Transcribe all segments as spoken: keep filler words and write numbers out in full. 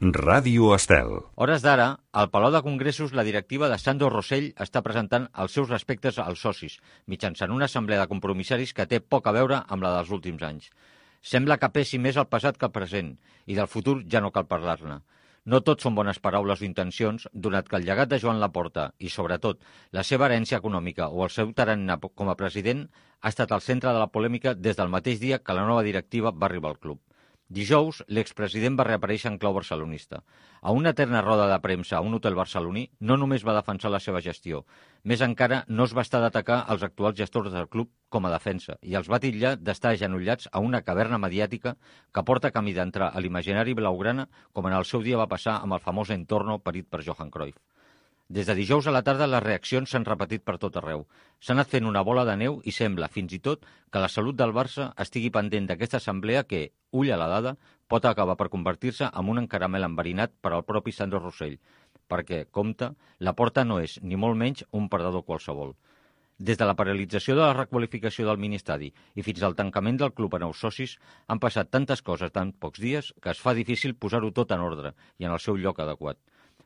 Ràdio Estel. Hores d'ara, al Palau de Congressos, la directiva de Sandro Rosell està presentant els seus respectes als socis, mitjançant una assemblea de compromissaris que té poc a veure amb la dels últims anys. Sembla que pesi més el passat que el present, i del futur ja no cal parlar-ne. No tot són bones paraules o intencions, donat que el llegat de Joan Laporta i, sobretot, la seva herència econòmica o el seu tarannà com a president ha estat al centre de la polèmica des del mateix dia que la nova directiva va arribar al club. Dijous, l'expresident va reaparèixer en clau barcelonista. A una eterna roda de premsa a un hotel barceloní no només va defensar la seva gestió, més encara no es va estar d'atacar els actuals gestors del club com a defensa i els va titllar d'estar agenollats a una caverna mediàtica que porta camí d'entrar a l'imaginari blaugrana com en el seu dia va passar amb el famós entorno parit per Johan Cruyff. Des de dijous a la tarda les reaccions s'han repetit per tot arreu. S'ha anat fent una bola de neu i sembla, fins i tot, que la salut del Barça estigui pendent d'aquesta assemblea que, ull a la dada, pot acabar per convertir-se en un encaramel enverinat per al propi Sandro Rosell, perquè, compte, Laporta no és, ni molt menys, un perdedor qualsevol. Des de la paralització de la requalificació del ministadi i fins al tancament del club a nous socis han passat tantes coses en pocs dies que es fa difícil posar-ho tot en ordre i en el seu lloc adequat.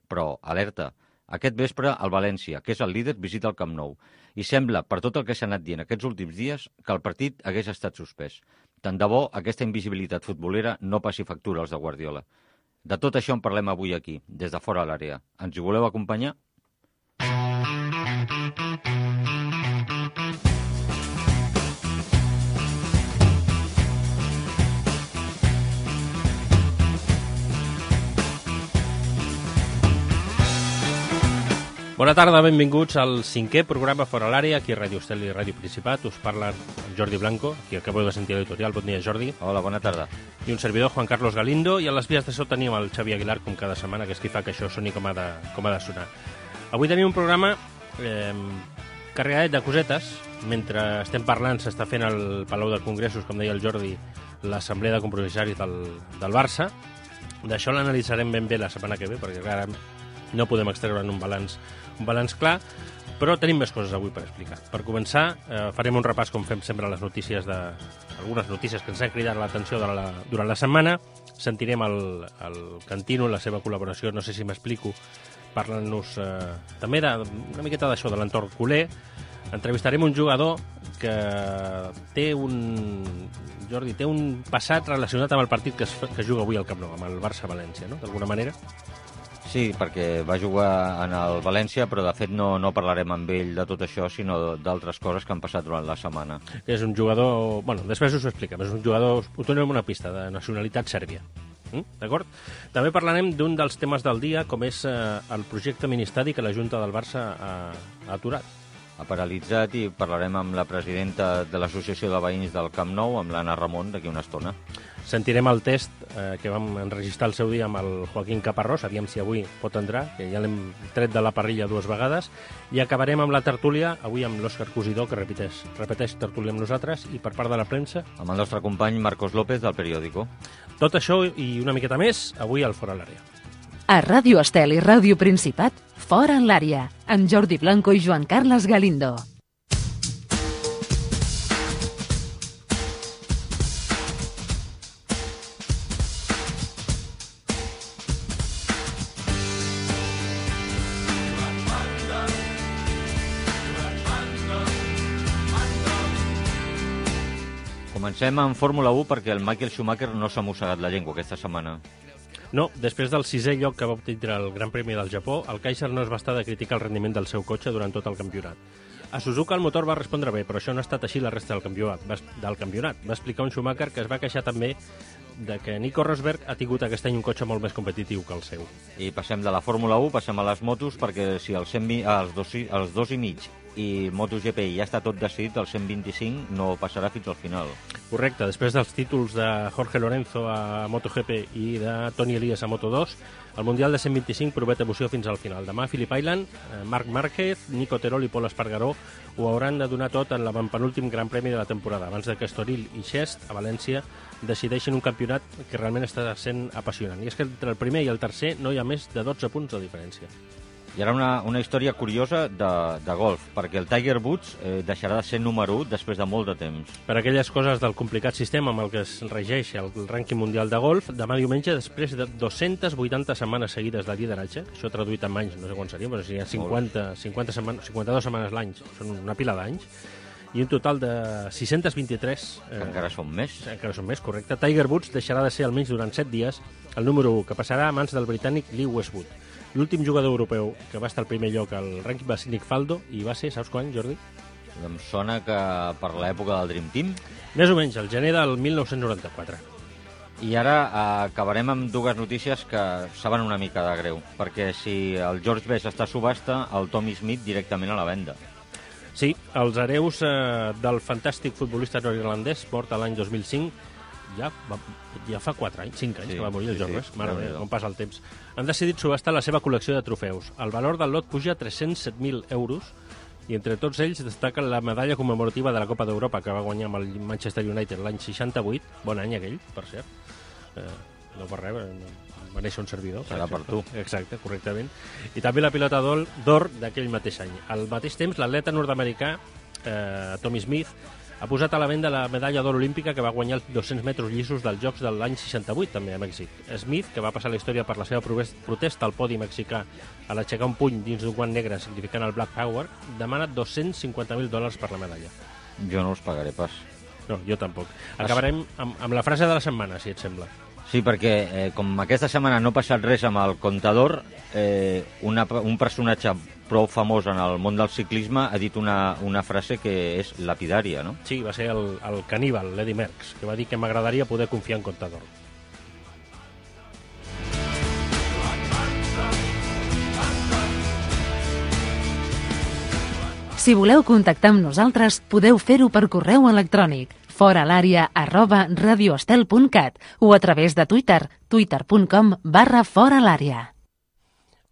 Però, alerta, aquest vespre, el València, que és el líder, visita el Camp Nou. I sembla, per tot el que s'ha anat dient aquests últims dies, que el partit hagués estat suspès. Tant de bo aquesta invisibilitat futbolera no passi factura als de Guardiola. De tot això en parlem avui aquí, des de fora a l'àrea. Ens hi voleu acompanyar? Bona tarda, benvinguts al cinquè programa Fora l'Àrea, aquí a Ràdio Estel i Ràdio Principat. Us parla Jordi Blanco, aquí acabeu de sentir l'editorial. Bon dia, Jordi. Hola, bona tarda. I un servidor, Juan Carlos Galindo, i a les vies de so tenim el Xavi Aguilar, com cada setmana, que és qui fa que això soni com ha de, com ha de sonar. Avui tenim un programa eh, carregadet de cosetes. Mentre estem parlant, s'està fent al Palau de Congressos, com deia el Jordi, l'assemblea de compromissaris del, del Barça. D'això l'analitzarem ben bé la setmana que ve, perquè ara no podem extreure un balanç un balanç clar, però tenim més coses avui per explicar. Per començar, eh, farem un repàs, com fem sempre, a les notícies de... algunes notícies que ens han cridat l'atenció durant la, durant la setmana. Sentirem el, el Cantino, la seva col·laboració, no sé si m'explico, parlant-nos eh, també de, una miqueta d'això, de l'entorn culer. Entrevistarem un jugador que té un... Jordi, té un passat relacionat amb el partit que es, que es juga avui al Camp Nou, amb el Barça-València, no?, d'alguna manera. Sí, perquè va jugar en el València, però de fet no, no parlarem amb ell de tot això, sinó d'altres coses que han passat durant la setmana. És un jugador... Bueno, després us ho expliquem. És un jugador... Ho donem una pista, de nacionalitat sèrbia. Mm? D'acord? També parlarem d'un dels temes del dia, com és eh, el projecte Ministadi que la Junta del Barça ha, ha aturat. Ha paralitzat i parlarem amb la presidenta de l'Associació de Veïns del Camp Nou, amb l'Anna Ramon, d'aquí una estona. Sentirem el test eh, que vam enregistrar el seu dia amb el Joaquín Caparrós, aviam si avui pot entrar, que ja l'hem tret de la parrilla dues vegades, i acabarem amb la tertúlia, avui amb l'Òscar Cosidó, que repeteix, repeteix tertúlia amb nosaltres, i per part de la premsa... Amb el nostre company Marcos López, del Periódico. Tot això i una miqueta més, avui al Fora l'Àrea. A Ràdio Estel i Ràdio Principat, Fora l'Àrea, amb Jordi Blanco i Joan Carles Galindo. Comencem en Fórmula u perquè el Michael Schumacher no s'ha mossegat la llengua aquesta setmana. No, després del sisè lloc que va obtindre el Gran Premi del Japó, el Kaiser no es va estar de criticar el rendiment del seu cotxe durant tot el campionat. A Suzuka el motor va respondre bé, però això no ha estat així la resta del campionat. Va, del campionat. Va explicar un Schumacher que es va queixar també de que Nico Rosberg ha tingut aquest any un cotxe molt més competitiu que el seu. I passem de la Fórmula u, passem a les motos, perquè si els, cent, els, dos, els dos i mig i MotoGP ja està tot decidit, el cent vint-i-cinc no passarà fins al final. Correcte, després dels títols de Jorge Lorenzo a MotoGP i de Toni Elias a Moto dos, el Mundial de cent vint-i-cinc promet emoció fins al final. Demà Phillip Island, Marc Márquez, Nico Terol i Pol Espargaró ho hauran de donar tot en l'avantpenúltim Gran Premi de la temporada, abans de que Estoril i Xest, a València, decideixin un campionat que realment està sent apassionant. I és que entre el primer i el tercer no hi ha més de dotze punts de diferència. I ara una, una història curiosa de, de golf, perquè el Tiger Woods eh, deixarà de ser número u després de molt de temps. Per aquelles coses del complicat sistema amb el que es regeix el rànquing mundial de golf, demà diumenge, després de dues-centes vuitanta setmanes seguides de lideratge, això traduït en anys, no sé quan seria, però si hi ha cinquanta, cinquanta setmanes, cinquanta-dues setmanes l'any, són una pila d'anys, i un total de sis-centes vint-i-tres... Eh, encara són més. Encara són més, correcte. Tiger Woods deixarà de ser almenys durant set dies el número u, que passarà a mans del britànic Lee Westwood. L'últim jugador europeu que va estar al primer lloc al rànquing va ser Nick Faldo, i va ser, saps quan, Jordi? Em sona que per l'època del Dream Team. Més o menys, el gener del mil nou-cents noranta-quatre. I ara eh, acabarem amb dues notícies que saben una mica de greu, perquè si el George Best està a subhasta, el Tommy Smith directament a la venda. Sí, els hereus eh, del fantàstic futbolista nord-irlandès, mort l'any dos mil cinc, ja, va, ja fa quatre anys, cinc anys sí, que va morir el George Best, sí, mare meva, com passa el temps. Han decidit subhastar la seva col·lecció de trofeus. El valor del lot puja a tres-cents set mil euros i entre tots ells destaca la medalla commemorativa de la Copa d'Europa que va guanyar amb el Manchester United l'any seixanta-vuit, bon any aquell, per cert. Eh, no per res, va néixer un servidor. Serà per tu. Exacte, correctament. I també la pilota d'or d'aquell mateix any. Al mateix temps, l'atleta nord-americà eh, Tommy Smith ha posat a la venda la medalla d'or olímpica que va guanyar els dos-cents metres llisos dels Jocs de l'any seixanta-vuit, també a Mèxic. Smith, que va passar la història per la seva protesta al podi mexicà a l'aixecar un puny dins d'un guant negre significant el Black Power, demana dos-cents cinquanta mil dòlars per la medalla. Jo no els pagaré pas. No, jo tampoc. Acabarem amb, amb la frase de la setmana, si et sembla. Sí, perquè eh, com aquesta setmana no ha passat res amb el Contador, eh, una, un personatge prou famós en el món del ciclisme ha dit una, una frase que és lapidària, no? Sí, va ser el, el caníbal, l'Eddie Merckx, que va dir que m'agradaria poder confiar en Contador. Si voleu contactar amb nosaltres, podeu fer-ho per correu electrònic foralària arroba radioestel punt cat o a través de Twitter, twitter punt com barra foralària.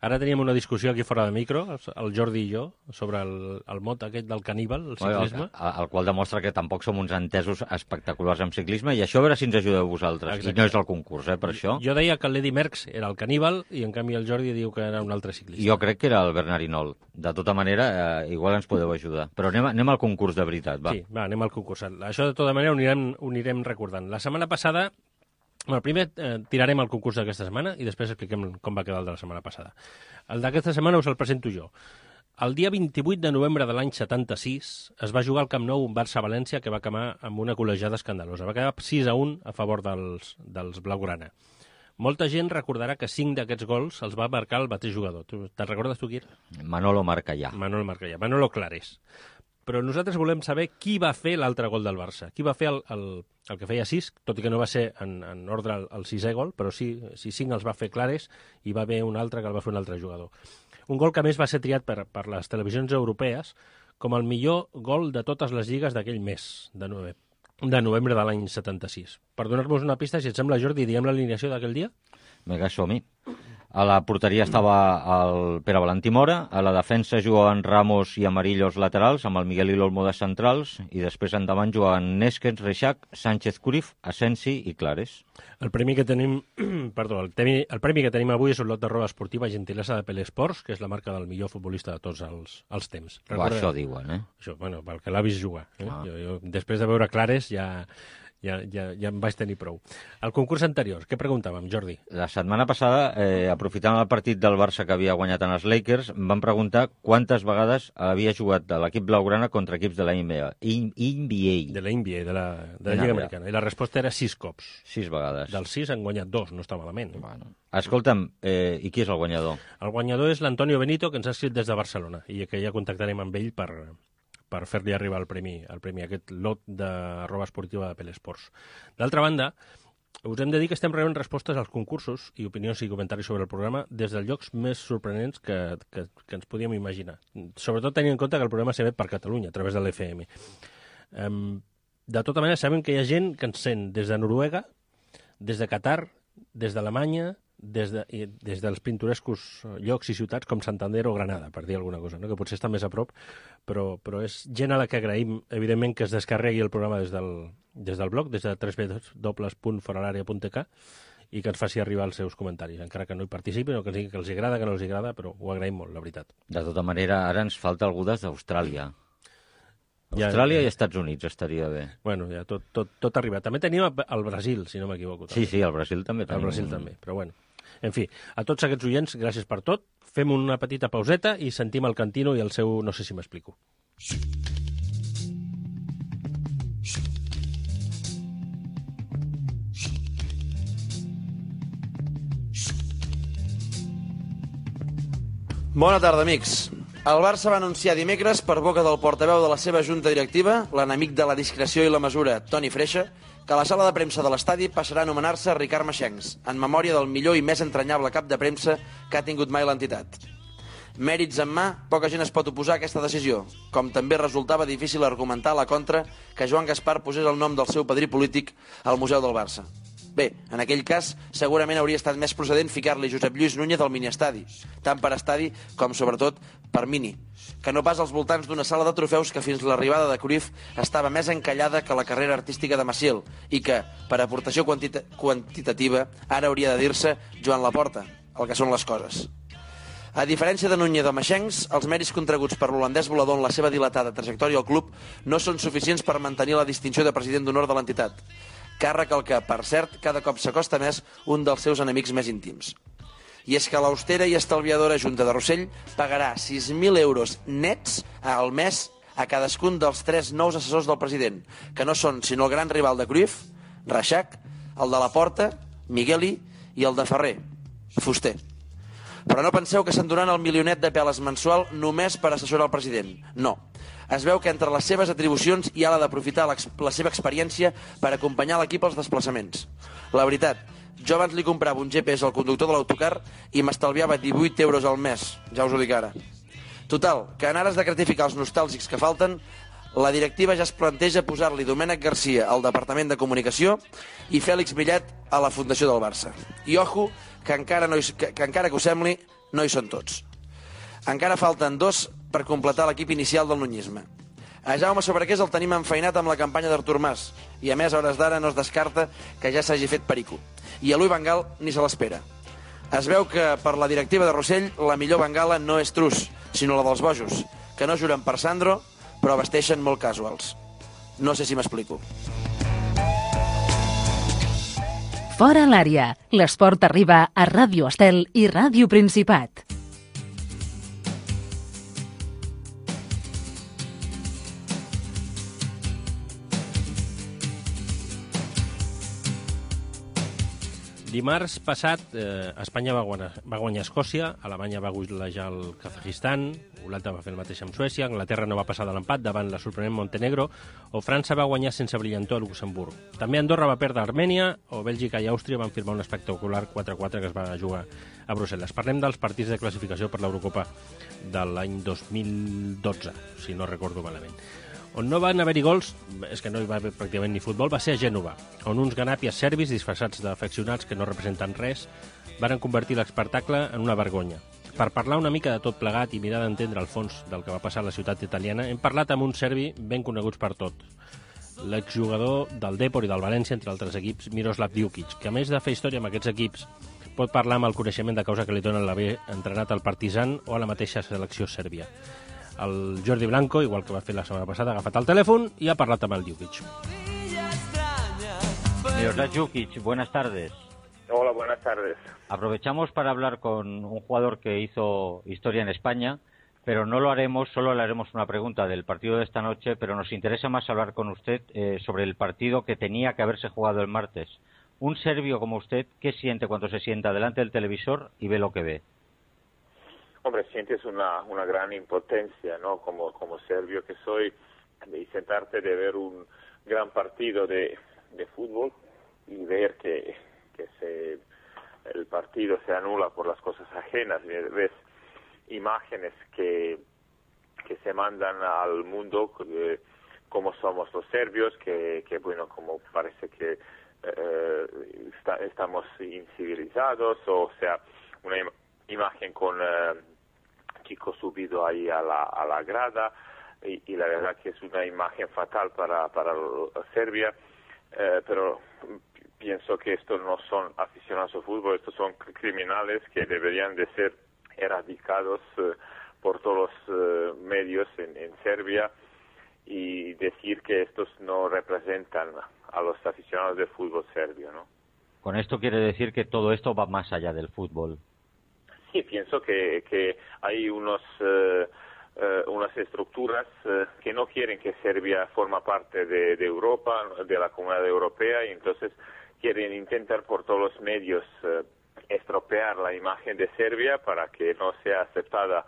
Ara teníem una discussió aquí fora de micro, el Jordi i jo, sobre el, el mot aquest del caníbal, el ciclisme. El, el qual demostra que tampoc som uns entesos espectaculars en ciclisme, i això a veure si ens ajudeu vosaltres. Exacte. I no és el concurs, eh, per això. Jo deia que l'Eddie Merckx era el caníbal i en canvi el Jordi diu que era un altre ciclista. Jo crec que era el Bernard Hinault. De tota manera, eh, igual ens podeu ajudar. Però anem, anem al concurs de veritat, va. Sí, va, anem al concurs. Això de tota manera ho anirem, ho anirem recordant. La setmana passada... Bueno, primer eh, tirarem el concurs d'aquesta setmana i després expliquem com va quedar el de la setmana passada. El d'aquesta setmana us el presento jo. El dia vint-i-vuit de novembre de l'any setanta-sis es va jugar al Camp Nou un Barça-València que va acabar amb una col·legiada escandalosa. Va quedar sis a un a favor dels, dels blaugrana. Molta gent recordarà que cinc d'aquests gols els va marcar el mateix jugador. Te'n recordes tu qui era? Manolo Marcallà. Manolo Marcallà. Manolo Clares. Però nosaltres volem saber qui va fer l'altre gol del Barça. Qui va fer el, el, el que feia sis, tot i que no va ser en, en ordre el, el sisè gol, però sí, sí cinc els va fer Clares i va haver un altre que el va fer un altre jugador. Un gol que a més va ser triat per, per les televisions europees com el millor gol de totes les lligues d'aquell mes de, nove, de novembre de l'any setanta-sis. Per donar-nos una pista, si et sembla, Jordi, diem l'alineació d'aquell dia? Vinga, som-hi. A la porteria estava el Pere Valentí Mora, a la defensa jugaven Ramos i Amarillo els laterals, amb el Miguel i l'Olmo de centrals, i després endavant jugaven Nésquez, Reixac, Sánchez Curif, Asensi i Clares. El premi que tenim, perdó, el, temi, el premi que tenim avui és un lot de roba esportiva gentilesa de Pelesports, que és la marca del millor futbolista de tots els, els temps. Recorda... Això diuen, eh? Això, bueno, pel que l'ha vist jugar. Eh? Ah. Jo, jo, després de veure Clares ja... Ja, ja, ja em vaig tenir prou. El concurs anterior, què preguntàvem, Jordi? La setmana passada, eh, aprofitant el partit del Barça que havia guanyat en els Lakers, vam preguntar quantes vegades havia jugat l'equip blaugrana contra equips de la N B A. N B A. De la N B A, de la, de la Lliga Americana. I la resposta era sis cops. Sis vegades. Dels sis han guanyat dos, no està malament. Bueno. Escolta'm, eh, i qui és el guanyador? El guanyador és l'Antonio Benito, que ens ha escrit des de Barcelona, i que ja contactarem amb ell per... per fer-li arribar el premi, el premi, aquest lot de roba esportiva de Pelesports. D'altra banda, us hem de dir que estem rebent respostes als concursos i opinions i comentaris sobre el programa des dels llocs més sorprenents que, que, que ens podíem imaginar. Sobretot tenint en compte que el programa s'emet per Catalunya, a través de l'F M. Um, de tota manera, sabem que hi ha gent que ens sent des de Noruega, des de Qatar, des d'Alemanya, des, de, des dels pintorescos llocs i ciutats com Santander o Granada, per dir alguna cosa, no? Que potser està més a prop, però, però és gent a la que agraïm, evidentment, que es descarregui el programa des del, des del blog, des de w w w punt foralaria punt t k, i que ens faci arribar els seus comentaris, encara que no hi participin o que ens digui que els agrada, que no els agrada, però ho agraïm molt, la veritat. De tota manera, ara ens falta algú des d'Austràlia. Austràlia ja, ja. i Estats Units estaria bé. Bueno, ja tot, tot, tot arriba. També tenim el Brasil, si no m'equivoco. Sí, sí, el Brasil també. El Brasil també, però bueno. En fi, a tots aquests oients, gràcies per tot. Fem una petita pauseta i sentim el Cantino i el seu No sé si m'explico. Bona tarda, amics. El Barça va anunciar dimecres, per boca del portaveu de la seva junta directiva, l'enemic de la discreció i la mesura, Toni Freixa, que la sala de premsa de l'estadi passarà a anomenar-se Ricard Maxencs, en memòria del millor i més entranyable cap de premsa que ha tingut mai l'entitat. Mèrits en mà, poca gent es pot oposar a aquesta decisió, com també resultava difícil argumentar a la contra que Joan Gaspar posés el nom del seu padrí polític al Museu del Barça. Bé, en aquell cas, segurament hauria estat més procedent ficar-li Josep Lluís Núñez al miniestadi, tant per estadi com, sobretot, per mini, que no pas als voltants d'una sala de trofeus que fins l'arribada de Cruyff estava més encallada que la carrera artística de Maciel i que, per aportació quantita quantitativa, ara hauria de dir-se Joan Laporta, el que són les coses. A diferència de Núñez o Maxencs, els mèrits contraguts per l'holandès volador en la seva dilatada trajectòria al club no són suficients per mantenir la distinció de president d'honor de l'entitat. Càrrec al que, per cert, cada cop s'acosta més un dels seus enemics més íntims. I és que l'austera i estalviadora Junta de Rossell pagarà sis mil euros nets al mes a cadascun dels tres nous assessors del president, que no són sinó el gran rival de Cruyff, Reixac, el de Laporta, Migueli i el de Ferrer, Fuster. Però no penseu que s'enduran el milionet de peles mensual només per assessorar el president. No. Es veu que entre les seves atribucions hi ha la d'aprofitar la seva experiència per acompanyar l'equip als desplaçaments. La veritat, jo abans li comprava un G P S al conductor de l'autocar i m'estalviava divuit euros al mes, ja us ho dic ara. Total, que en ares de gratificar els nostàlgics que falten, la directiva ja es planteja posar-li Domènec Garcia al Departament de Comunicació i Fèlix Millet a la Fundació del Barça. I ojo, que encara, no hi, que, que encara que us sembli, no hi són tots. Encara falten dos per completar l'equip inicial del nunyisme. A Jaume Sobrequés el tenim enfeinat amb la campanya d'Artur Mas i a més a hores d'ara no es descarta que ja s'hagi fet perico. I a Louis Van Gaal ni se l'espera. Es veu que per la directiva de Rossell la millor bengala no és Trus, sinó la dels bojos, que no juren per Sandro però vesteixen molt casuals. No sé si m'explico. Fora l'àrea. L'esport arriba a Ràdio Estel i Ràdio Principat. Dimarts passat, eh, Espanya va guanyar, va guanyar Escòcia, Alemanya va golejar el Kazajistan, Holanda va fer el mateix amb Suècia, Anglaterra no va passar de l'empat davant la sorprenent Montenegro, o França va guanyar sense brillantor a Luxemburg. També Andorra va perdre a Armènia, o Bèlgica i Àustria van firmar un espectacular quatre a quatre que es va jugar a Brussel·les. Parlem dels partits de classificació per l'Eurocopa de l'any dos mil dotze, si no recordo malament. On no van haver-hi gols, és que no hi va haver pràcticament ni futbol, va ser a Gènova, on uns ganàpies serbis disfressats d'afeccionats que no representen res varen convertir l'espectacle en una vergonya. Per parlar una mica de tot plegat i mirar d'entendre el fons del que va passar a la ciutat italiana, hem parlat amb un serbi ben coneguts per tot, l'exjugador del Depor i del València, entre altres equips, Miroslav Djukic, que a més de fer història amb aquests equips, pot parlar amb el coneixement de causa que li donen l'haver entrenat al Partizan o a la mateixa selecció sèrbia. El Jordi Blanco, igual que va fer la setmana passada, ha agafat el telèfon y ha parlat amb el Djukic. Miroslav Djukic, buenas tardes. Hola, buenas tardes. Aprovechamos para hablar con un jugador que hizo historia en España, pero no lo haremos, solo le haremos una pregunta del partido de esta noche, pero nos interesa más hablar con usted eh, sobre el partido que tenía que haberse jugado el martes. Un serbio como usted, ¿qué siente cuando se sienta delante del televisor y ve lo que ve? Hombre, sientes una, una gran impotencia, ¿no? Como, como serbio que soy, de sentarte de ver un gran partido de, de fútbol y ver que, que se, el partido se anula por las cosas ajenas. Ves imágenes que, que se mandan al mundo, eh, como somos los serbios, que, que bueno, como parece que eh, está, estamos incivilizados, o sea, una im imagen con... Eh, chico subido ahí a la, a la grada y, y la verdad que es una imagen fatal para, para Serbia, eh, pero pienso que estos no son aficionados al fútbol, estos son criminales que deberían de ser erradicados eh, por todos los eh, medios en, en Serbia, y decir que estos no representan a los aficionados del fútbol serbio, ¿no? Con esto quiere decir que todo esto va más allá del fútbol. Sí, pienso que, que hay unos eh, eh, unas estructuras eh, que no quieren que Serbia forma parte de, de Europa, de la Comunidad Europea, y entonces quieren intentar por todos los medios eh, estropear la imagen de Serbia para que no sea aceptada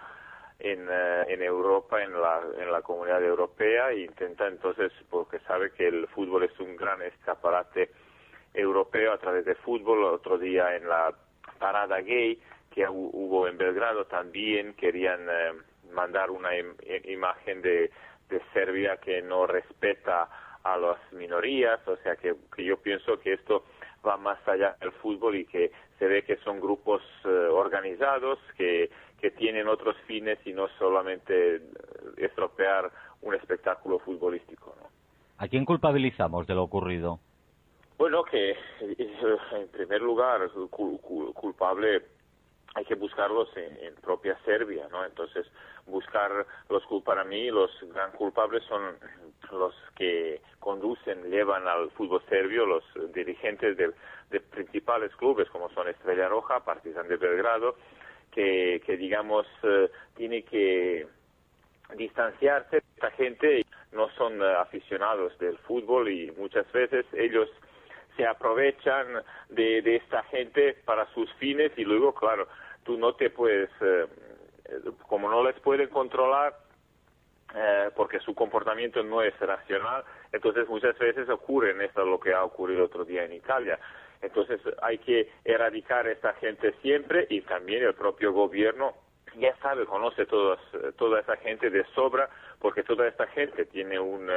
en, uh, en Europa, en la, en la Comunidad Europea, e intenta entonces, porque sabe que el fútbol es un gran escaparate europeo a través de fútbol. Otro día en la parada gay que hubo en Belgrado también querían eh, mandar una im imagen de, de Serbia que no respeta a las minorías, o sea que, que yo pienso que esto va más allá del fútbol, y que se ve que son grupos eh, organizados que, que tienen otros fines y no solamente estropear un espectáculo futbolístico, ¿no? ¿A quién culpabilizamos de lo ocurrido? Bueno, que en primer lugar cul cul culpable hay que buscarlos en, en propia Serbia, ¿no? Entonces, buscar los para mí los gran culpables son los que conducen, llevan al fútbol serbio, los dirigentes de, de principales clubes como son Estrella Roja, Partizan de Belgrado, que, que digamos eh, tiene que distanciarse de esta gente. No son uh, aficionados del fútbol, y muchas veces ellos se aprovechan de, de esta gente para sus fines, y luego, claro, tú no te puedes, eh, como no les pueden controlar, eh, porque su comportamiento no es racional, entonces muchas veces ocurre esto, lo que ha ocurrido otro día en Italia. Entonces hay que erradicar a esta gente siempre, y también el propio gobierno ya sabe, conoce todas, toda esa gente de sobra, porque toda esta gente tiene un,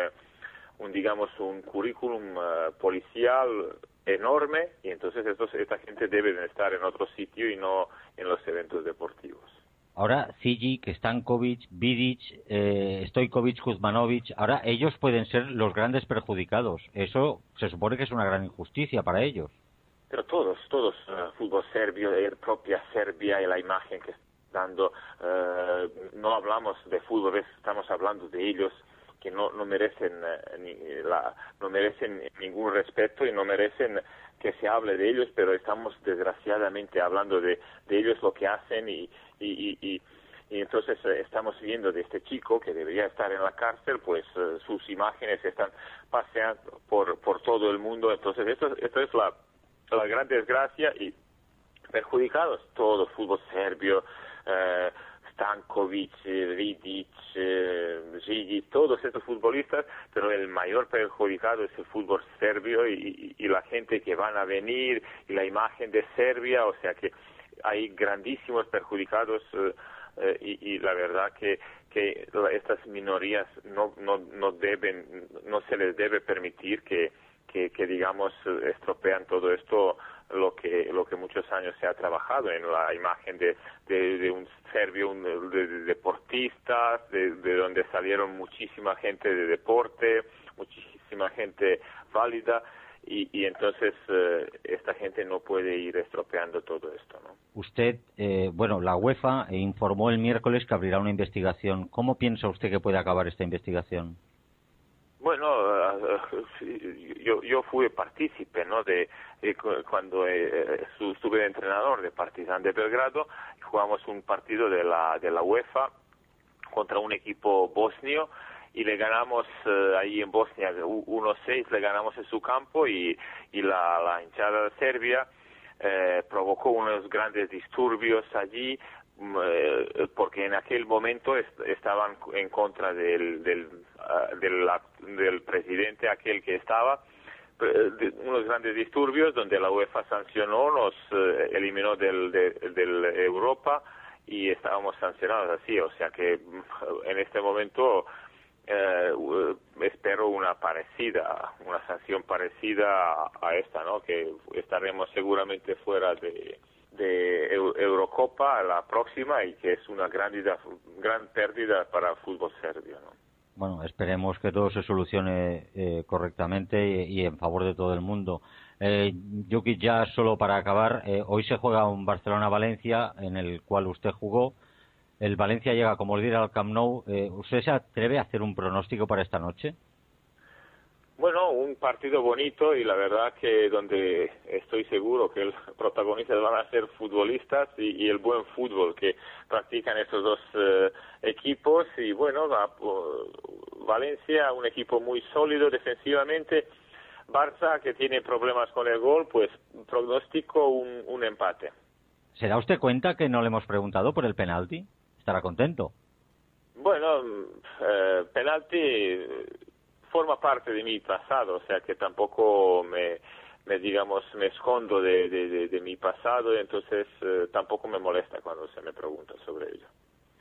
un digamos, un currículum uh, policial enorme, y entonces estos, esta gente debe de estar en otro sitio y no en los eventos deportivos. Ahora Zigic, Stankovic, Vidic, eh, Stojkovic, Kuzmanovic, ahora ellos pueden ser los grandes perjudicados. Eso se supone que es una gran injusticia para ellos. Pero todos, todos, uh, fútbol serbio, la propia Serbia y la imagen que está dando, uh, no hablamos de fútbol, estamos hablando de ellos, que no, no merecen uh, ni la, no merecen ningún respeto y no merecen que se hable de ellos, pero estamos desgraciadamente hablando de, de ellos, lo que hacen, y, y, y, y, y entonces uh, estamos viendo de este chico que debería estar en la cárcel, pues uh, sus imágenes están paseando por, por todo el mundo. Entonces esto, esto es la, la gran desgracia, y perjudicados todo el fútbol serbio, uh, Stankovic, Vidic, eh, Gigi, todos estos futbolistas, pero el mayor perjudicado es el fútbol serbio, y, y, y la gente que van a venir, y la imagen de Serbia, o sea que hay grandísimos perjudicados, eh, eh, y, y la verdad que, que estas minorías no, no, no deben, no se les debe permitir que, que, que digamos, estropean todo esto, lo que lo que muchos años se ha trabajado en la imagen de, de, de un serbio, un, de, de deportistas, de, de donde salieron muchísima gente de deporte, muchísima gente válida, y, y entonces eh, esta gente no puede ir estropeando todo esto, ¿no? Usted, eh, bueno, la UEFA informó el miércoles que abrirá una investigación. ¿Cómo piensa usted que puede acabar esta investigación? Bueno, uh, yo, yo fui partícipe, ¿no? De, de cuando eh, estuve de entrenador de Partizan de Belgrado, jugamos un partido de la de la UEFA contra un equipo bosnio, y le ganamos uh, ahí en Bosnia uno seis, le ganamos en su campo, y, y la, la hinchada de Serbia eh, provocó unos grandes disturbios allí, porque en aquel momento est estaban en contra del del, uh, del del presidente aquel que estaba, de unos grandes disturbios donde la UEFA sancionó, nos uh, eliminó del de, del Europa, y estábamos sancionados así, o sea que en este momento uh, espero una parecida, una sanción parecida a, a esta, ¿no? Que estaremos seguramente fuera de de Eurocopa la próxima, y que es una gran, gran pérdida para el fútbol serbio, ¿no? Bueno, esperemos que todo se solucione eh, correctamente y, y en favor de todo el mundo. Eh, Jukic, ya solo para acabar, eh, hoy se juega un Barcelona-Valencia en el cual usted jugó. El Valencia llega como líder al Camp Nou. Eh, ¿Usted se atreve a hacer un pronóstico para esta noche? Bueno, un partido bonito y la verdad que donde estoy seguro que los protagonistas van a ser futbolistas y, y el buen fútbol que practican estos dos eh, equipos. Y bueno, va, uh, Valencia, un equipo muy sólido defensivamente. Barça, que tiene problemas con el gol, pues pronóstico un, un empate. ¿Se da usted cuenta que no le hemos preguntado por el penalti? ¿Estará contento? Bueno, eh, penalti forma parte de mi pasado, o sea que tampoco me, me digamos, me escondo de, de, de, de mi pasado, y entonces eh, tampoco me molesta cuando se me pregunta sobre ello.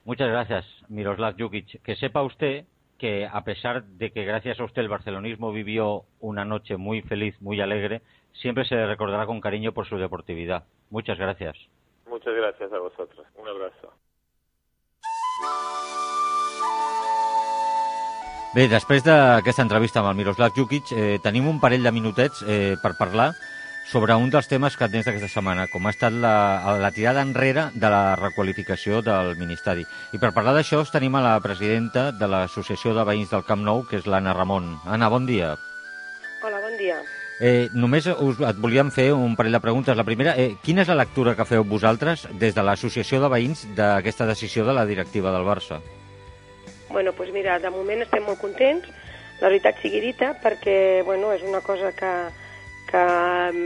Muchas gracias, Miroslav Jukic. Que sepa usted que a pesar de que gracias a usted el barcelonismo vivió una noche muy feliz, muy alegre, siempre se le recordará con cariño por su deportividad. Muchas gracias. Muchas gracias a vosotros. Un abrazo. Bé, després d'aquesta entrevista amb el Miroslav Jukic, eh, tenim un parell de minutets eh, per parlar sobre un dels temes que tens d'aquesta setmana, com ha estat la, la tirada enrere de la requalificació del Ministeri. I per parlar d'això tenim a la presidenta de l'Associació de Veïns del Camp Nou, que és l'Anna Ramon. Anna, bon dia. Hola, bon dia. Eh, només us, et volíem fer un parell de preguntes. La primera, eh, quina és la lectura que feu vosaltres des de l'Associació de Veïns d'aquesta decisió de la directiva del Barça? Bueno, doncs mira, de moment estem molt contents, la veritat sigui dita, perquè bueno, és una cosa que, que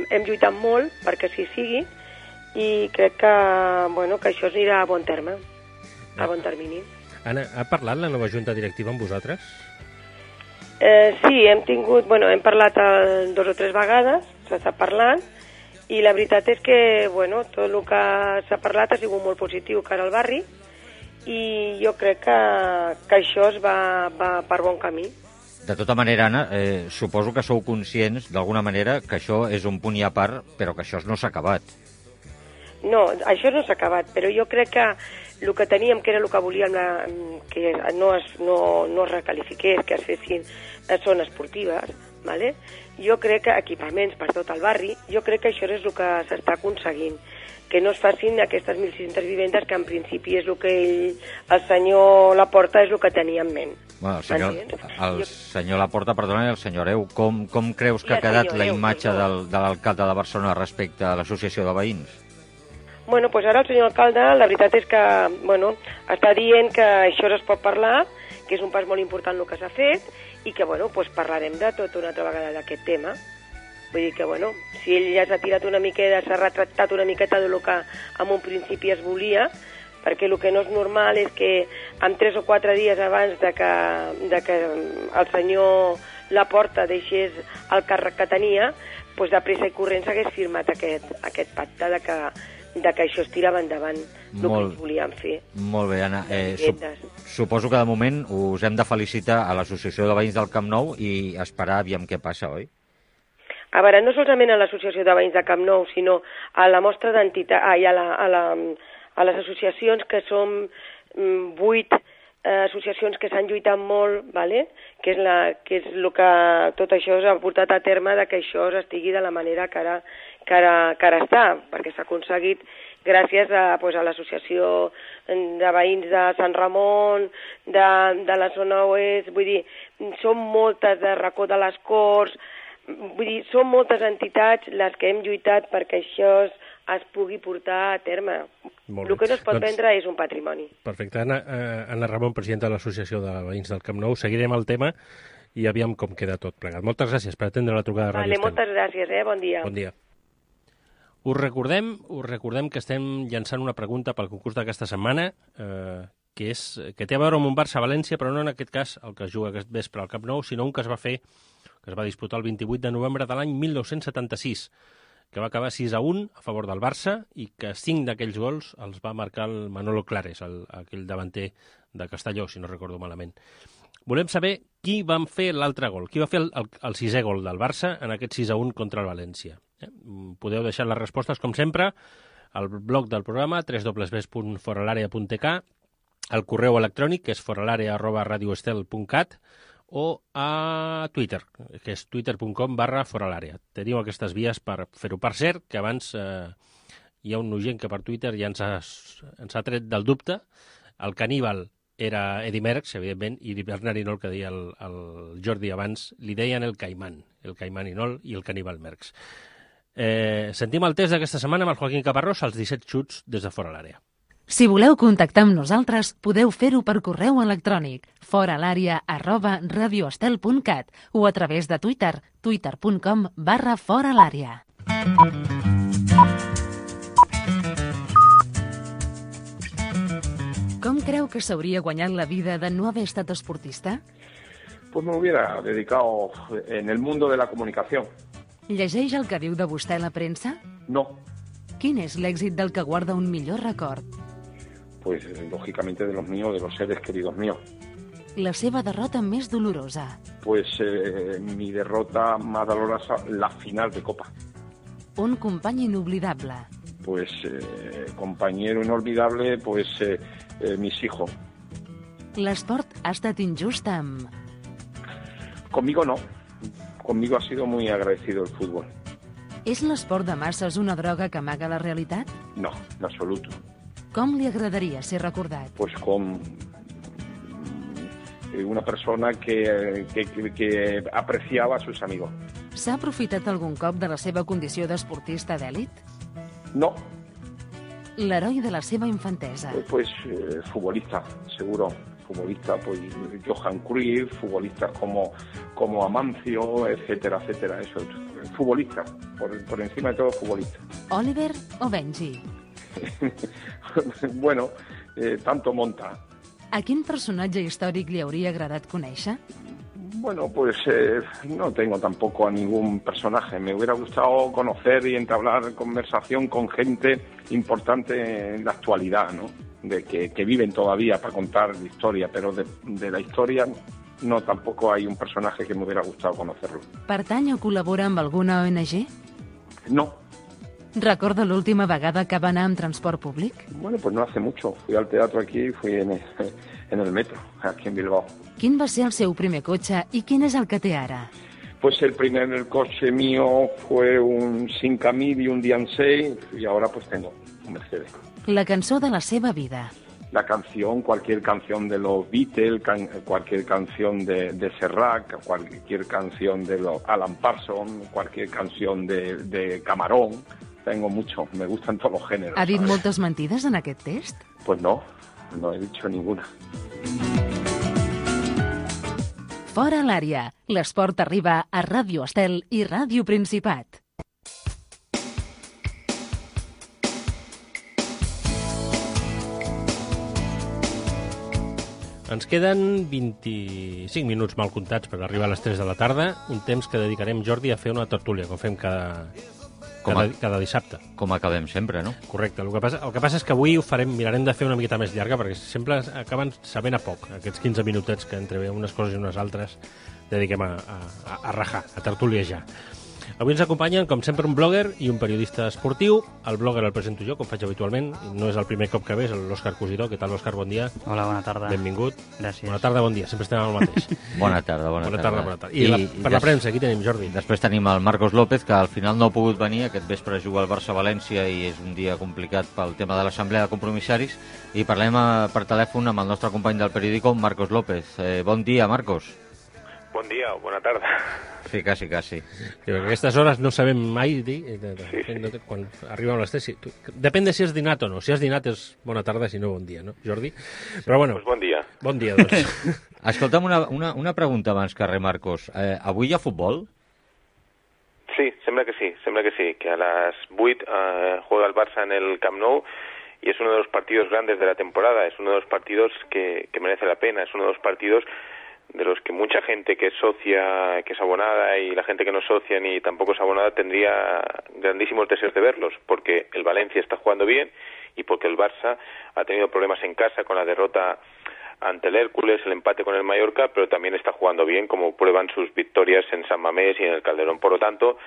hem lluitat molt perquè així sigui, i crec que, bueno, que això anirà a bon terme, a bon termini. Anna, ha parlat la nova junta directiva amb vosaltres? Eh, sí, hem tingut, bueno, hem parlat el, dos o tres vegades, s'està parlant, i la veritat és que, bueno, tot el que s'ha parlat ha sigut molt positiu cara al barri, i jo crec que, que això es va, va per bon camí. De tota manera, Anna, eh, suposo que sou conscients, d'alguna manera, que això és un punt i a part, però que això no s'ha acabat. No, això no s'ha acabat, però jo crec que el que teníem, que era el que volíem, la, que no es, no, no es recalifiqués, que es fessin zones esportives, ¿vale? Jo crec que equipaments per tot el barri, jo crec que això és el que s'està aconseguint, que no es facin aquestes mil sis-centes vivendes, que en principi és el que ell, el senyor Laporta, és el que tenia en ment. Bueno, el senyor, el senyor Laporta, perdona, i el senyor Eu, com, com creus que ha quedat la imatge del, de l'alcalde de Barcelona respecte a l'associació de veïns? Bueno, doncs ara el senyor alcalde, la veritat és que, bueno, està dient que això es pot parlar, que és un pas molt important el que s'ha fet, i que, bueno, doncs parlarem de tot una altra vegada d'aquest tema. Vull dir que, bueno, si ell ja s'ha tirat una miqueta, s'ha retractat una miqueta del que en un principi es volia, perquè el que no és normal és que en tres o quatre dies abans de que, de que el senyor Laporta deixés el càrrec que tenia, doncs de pressa i corrents hagués firmat aquest, aquest pacte de que, de que això es tirava endavant el que ells volien fer. Molt bé, Anna. Eh, sup suposo que de moment us hem de felicitar a l'Associació de Veïns del Camp Nou i esperar aviam què passa, oi? A veure, no solament a l'Associació de Veïns de Camp Nou, sinó a la mostra d'entitat, ah, i a, la, a, la, a les associacions, que són mm, vuit eh, associacions que s'han lluitat molt, ¿vale? que, és la, que és el que tot això s'ha portat a terme de que això estigui de la manera que ara, que ara, que ara està, perquè s'ha aconseguit gràcies a, pues, a l'associació de veïns de Sant Ramon, de, de la zona oest, vull dir, són moltes, de Racó de les Corts. Vull dir, són moltes entitats les que hem lluitat perquè això es, es pugui portar a terme. El que no es pot doncs, vendre és un patrimoni. Perfecte. Anna, eh, Anna Ramon, presidenta de l'Associació de Veïns del Camp Nou. Seguirem el tema i aviam com queda tot plegat. Moltes gràcies per atendre la trucada de Ràdio Estel. Vale, moltes gràcies, eh? Bon dia. Bon dia. Us recordem, us recordem que estem llançant una pregunta pel concurs d'aquesta setmana, eh, que, és, que té a veure amb un Barça-València, però no en aquest cas el que es juga aquest vespre al Camp Nou, sinó un que es va fer que es va disputar el vint-i-vuit de novembre de l'any mil nou-cents setanta-sis, que va acabar sis a un a favor del Barça i que cinc d'aquells gols els va marcar el Manolo Clares, el, aquell davanter de Castelló, si no recordo malament. Volem saber qui van fer l'altre gol, qui va fer el, el, el sisè gol del Barça en aquest sis a un contra el València. Eh? Podeu deixar les respostes, com sempre, al blog del programa, w w w punt foralarea punt t k, al correu electrònic, que és foralarea arroba radioestel punt cat, o a Twitter, que és twitter punt com barra fora l'àrea. Teniu aquestes vies per fer-ho. Per cert, que abans eh, hi ha un gent que per Twitter ja ens ha, ens ha tret del dubte. El caníbal era Eddy Merckx, evidentment, i Bernard Hinault, que deia el, el Jordi abans, li deien el Caimán, el Caimán Hinault i el caníbal Merckx. Eh, sentim el test d'aquesta setmana amb el Joaquín Caparrós, als disset xuts des de fora l'àrea. Si voleu contactar amb nosaltres, podeu fer-ho per correu electrònic foralària arroba radioestel punt cat o a través de Twitter, twitter punt com barra fora l'àrea. Com creu que s'hauria guanyat la vida de no haver estat esportista? Pues me hubiera dedicado en el mundo de la comunicación. Llegeix el que diu de vostè la premsa? No. Quin és l'èxit del que guarda un millor record? Pues lógicamente de los míos, de los seres queridos míos. La seva derrota més dolorosa? Pues eh, mi derrota más dolorosa, la final de Copa. Un company inoblidable? Pues eh, compañero inolvidable, pues eh, eh, mis hijos. L'esport ha estat injust amb... Conmigo no. Conmigo ha sido muy agradecido el fútbol. És l'esport de masses una droga que amaga la realitat? No, en absoluto. Com li agradaria ser recordat? Pues con una persona que, que, que apreciaba a sus amigos. S'ha aprofitat algun cop de la seva condició d'esportista d'èlit? No. L'heroi de la seva infantesa? Pues eh, futbolista, seguro. Futbolista, pues Johan Cruyff, futbolistas como, como Amancio, etcétera, etcétera. Eso, futbolista, por, por encima de todo futbolista. Oliver o Benji? Bueno, eh, tanto monta. A quin personatge històric li hauria agradat conèixer? Bueno, pues eh, no tengo tampoco a ningún personaje. Me hubiera gustado conocer y entablar conversación con gente importante en la actualidad, ¿no? De que, que viven todavía para contar la historia, pero de, de la historia no, tampoco hay un personaje que me hubiera gustado conocerlo. Pertany o col·labora amb alguna O N G? No. Recorda l'última vegada que va anar amb transport públic? Bueno, pues no hace mucho. Fui al teatro aquí y fui en el, en el metro, aquí en Bilbao. Quin va ser el seu primer cotxe i quin és el que té ara? Pues el primer el coche mío fue un cinco mil y un Diansei y ahora pues tengo un Mercedes. La cançó de la seva vida. La canción, cualquier canción de los Beatles, can, cualquier canción de, de Serrat, cualquier canción de los Alan Parsons, cualquier canción de, de Camarón. Tengo mucho, me gustan todos los géneros. Ha dit ¿sabes? moltes mentides en aquest test? Pues no, no he dicho ninguna. Fora l'àrea. L'esport arriba a Ràdio Estel i Ràdio Principat. Ens queden vint-i-cinc minuts mal comptats per arribar a les tres de la tarda, un temps que dedicarem, Jordi, a fer una tertúlia, com fem cada, cada, cada dissabte. Com acabem sempre, no? Correcte. El que, passa, el que passa és que avui ho farem, mirarem de fer una miqueta més llarga, perquè sempre acaben sabent a poc, aquests quinze minutets que entre unes coses i unes altres dediquem a, a, a rajar, a tertuliejar. Avui ens acompanyen, com sempre, un blogger i un periodista esportiu. El blogger el presento jo, com faig habitualment. No és el primer cop que ve, és l'Òscar Cosidó. Què tal, Òscar? Bon dia. Hola, bona tarda. Benvingut. Gràcies. Bona tarda, bon dia. Sempre estem al mateix. Bona tarda, bona, bona tarda. tarda. Bona tarda. I, I la, per la premsa, aquí tenim, Jordi. Després tenim el Marcos López, que al final no ha pogut venir. Aquest vespre juga al Barça-València i és un dia complicat pel tema de l'assemblea de compromissaris. I parlem a, per telèfon amb el nostre company del periòdico, Marcos López. Eh, bon dia, Marcos. Bon dia o bona tarda. Sí, quasi, quasi. A aquestes hores no sabem mai dir, sí, sí. Quan arribem a les tres. Sí. Depèn de si has dinat o no. Si has dinat és bona tarda, si no bon dia, no, Jordi? Però bueno, pues bon dia. Bon dia, doncs. Escolta'm una, una, una pregunta abans que res, Marcos. Eh, avui hi ha futbol? Sí, sembla que sí, sembla que sí, que a las vuit eh, juega el Barça en el Camp Nou y es uno de los partidos grandes de la temporada, es uno de los partidos que, que merece la pena, es uno de los partidos de los que mucha gente que es socia, que es abonada, y la gente que no es socia ni tampoco es abonada tendría grandísimos deseos de verlos, porque el Valencia está jugando bien y porque el Barça ha tenido problemas en casa con la derrota ante el Hércules, el empate con el Mallorca, pero también está jugando bien, como prueban sus victorias en San Mamés y en el Calderón. Por lo tanto,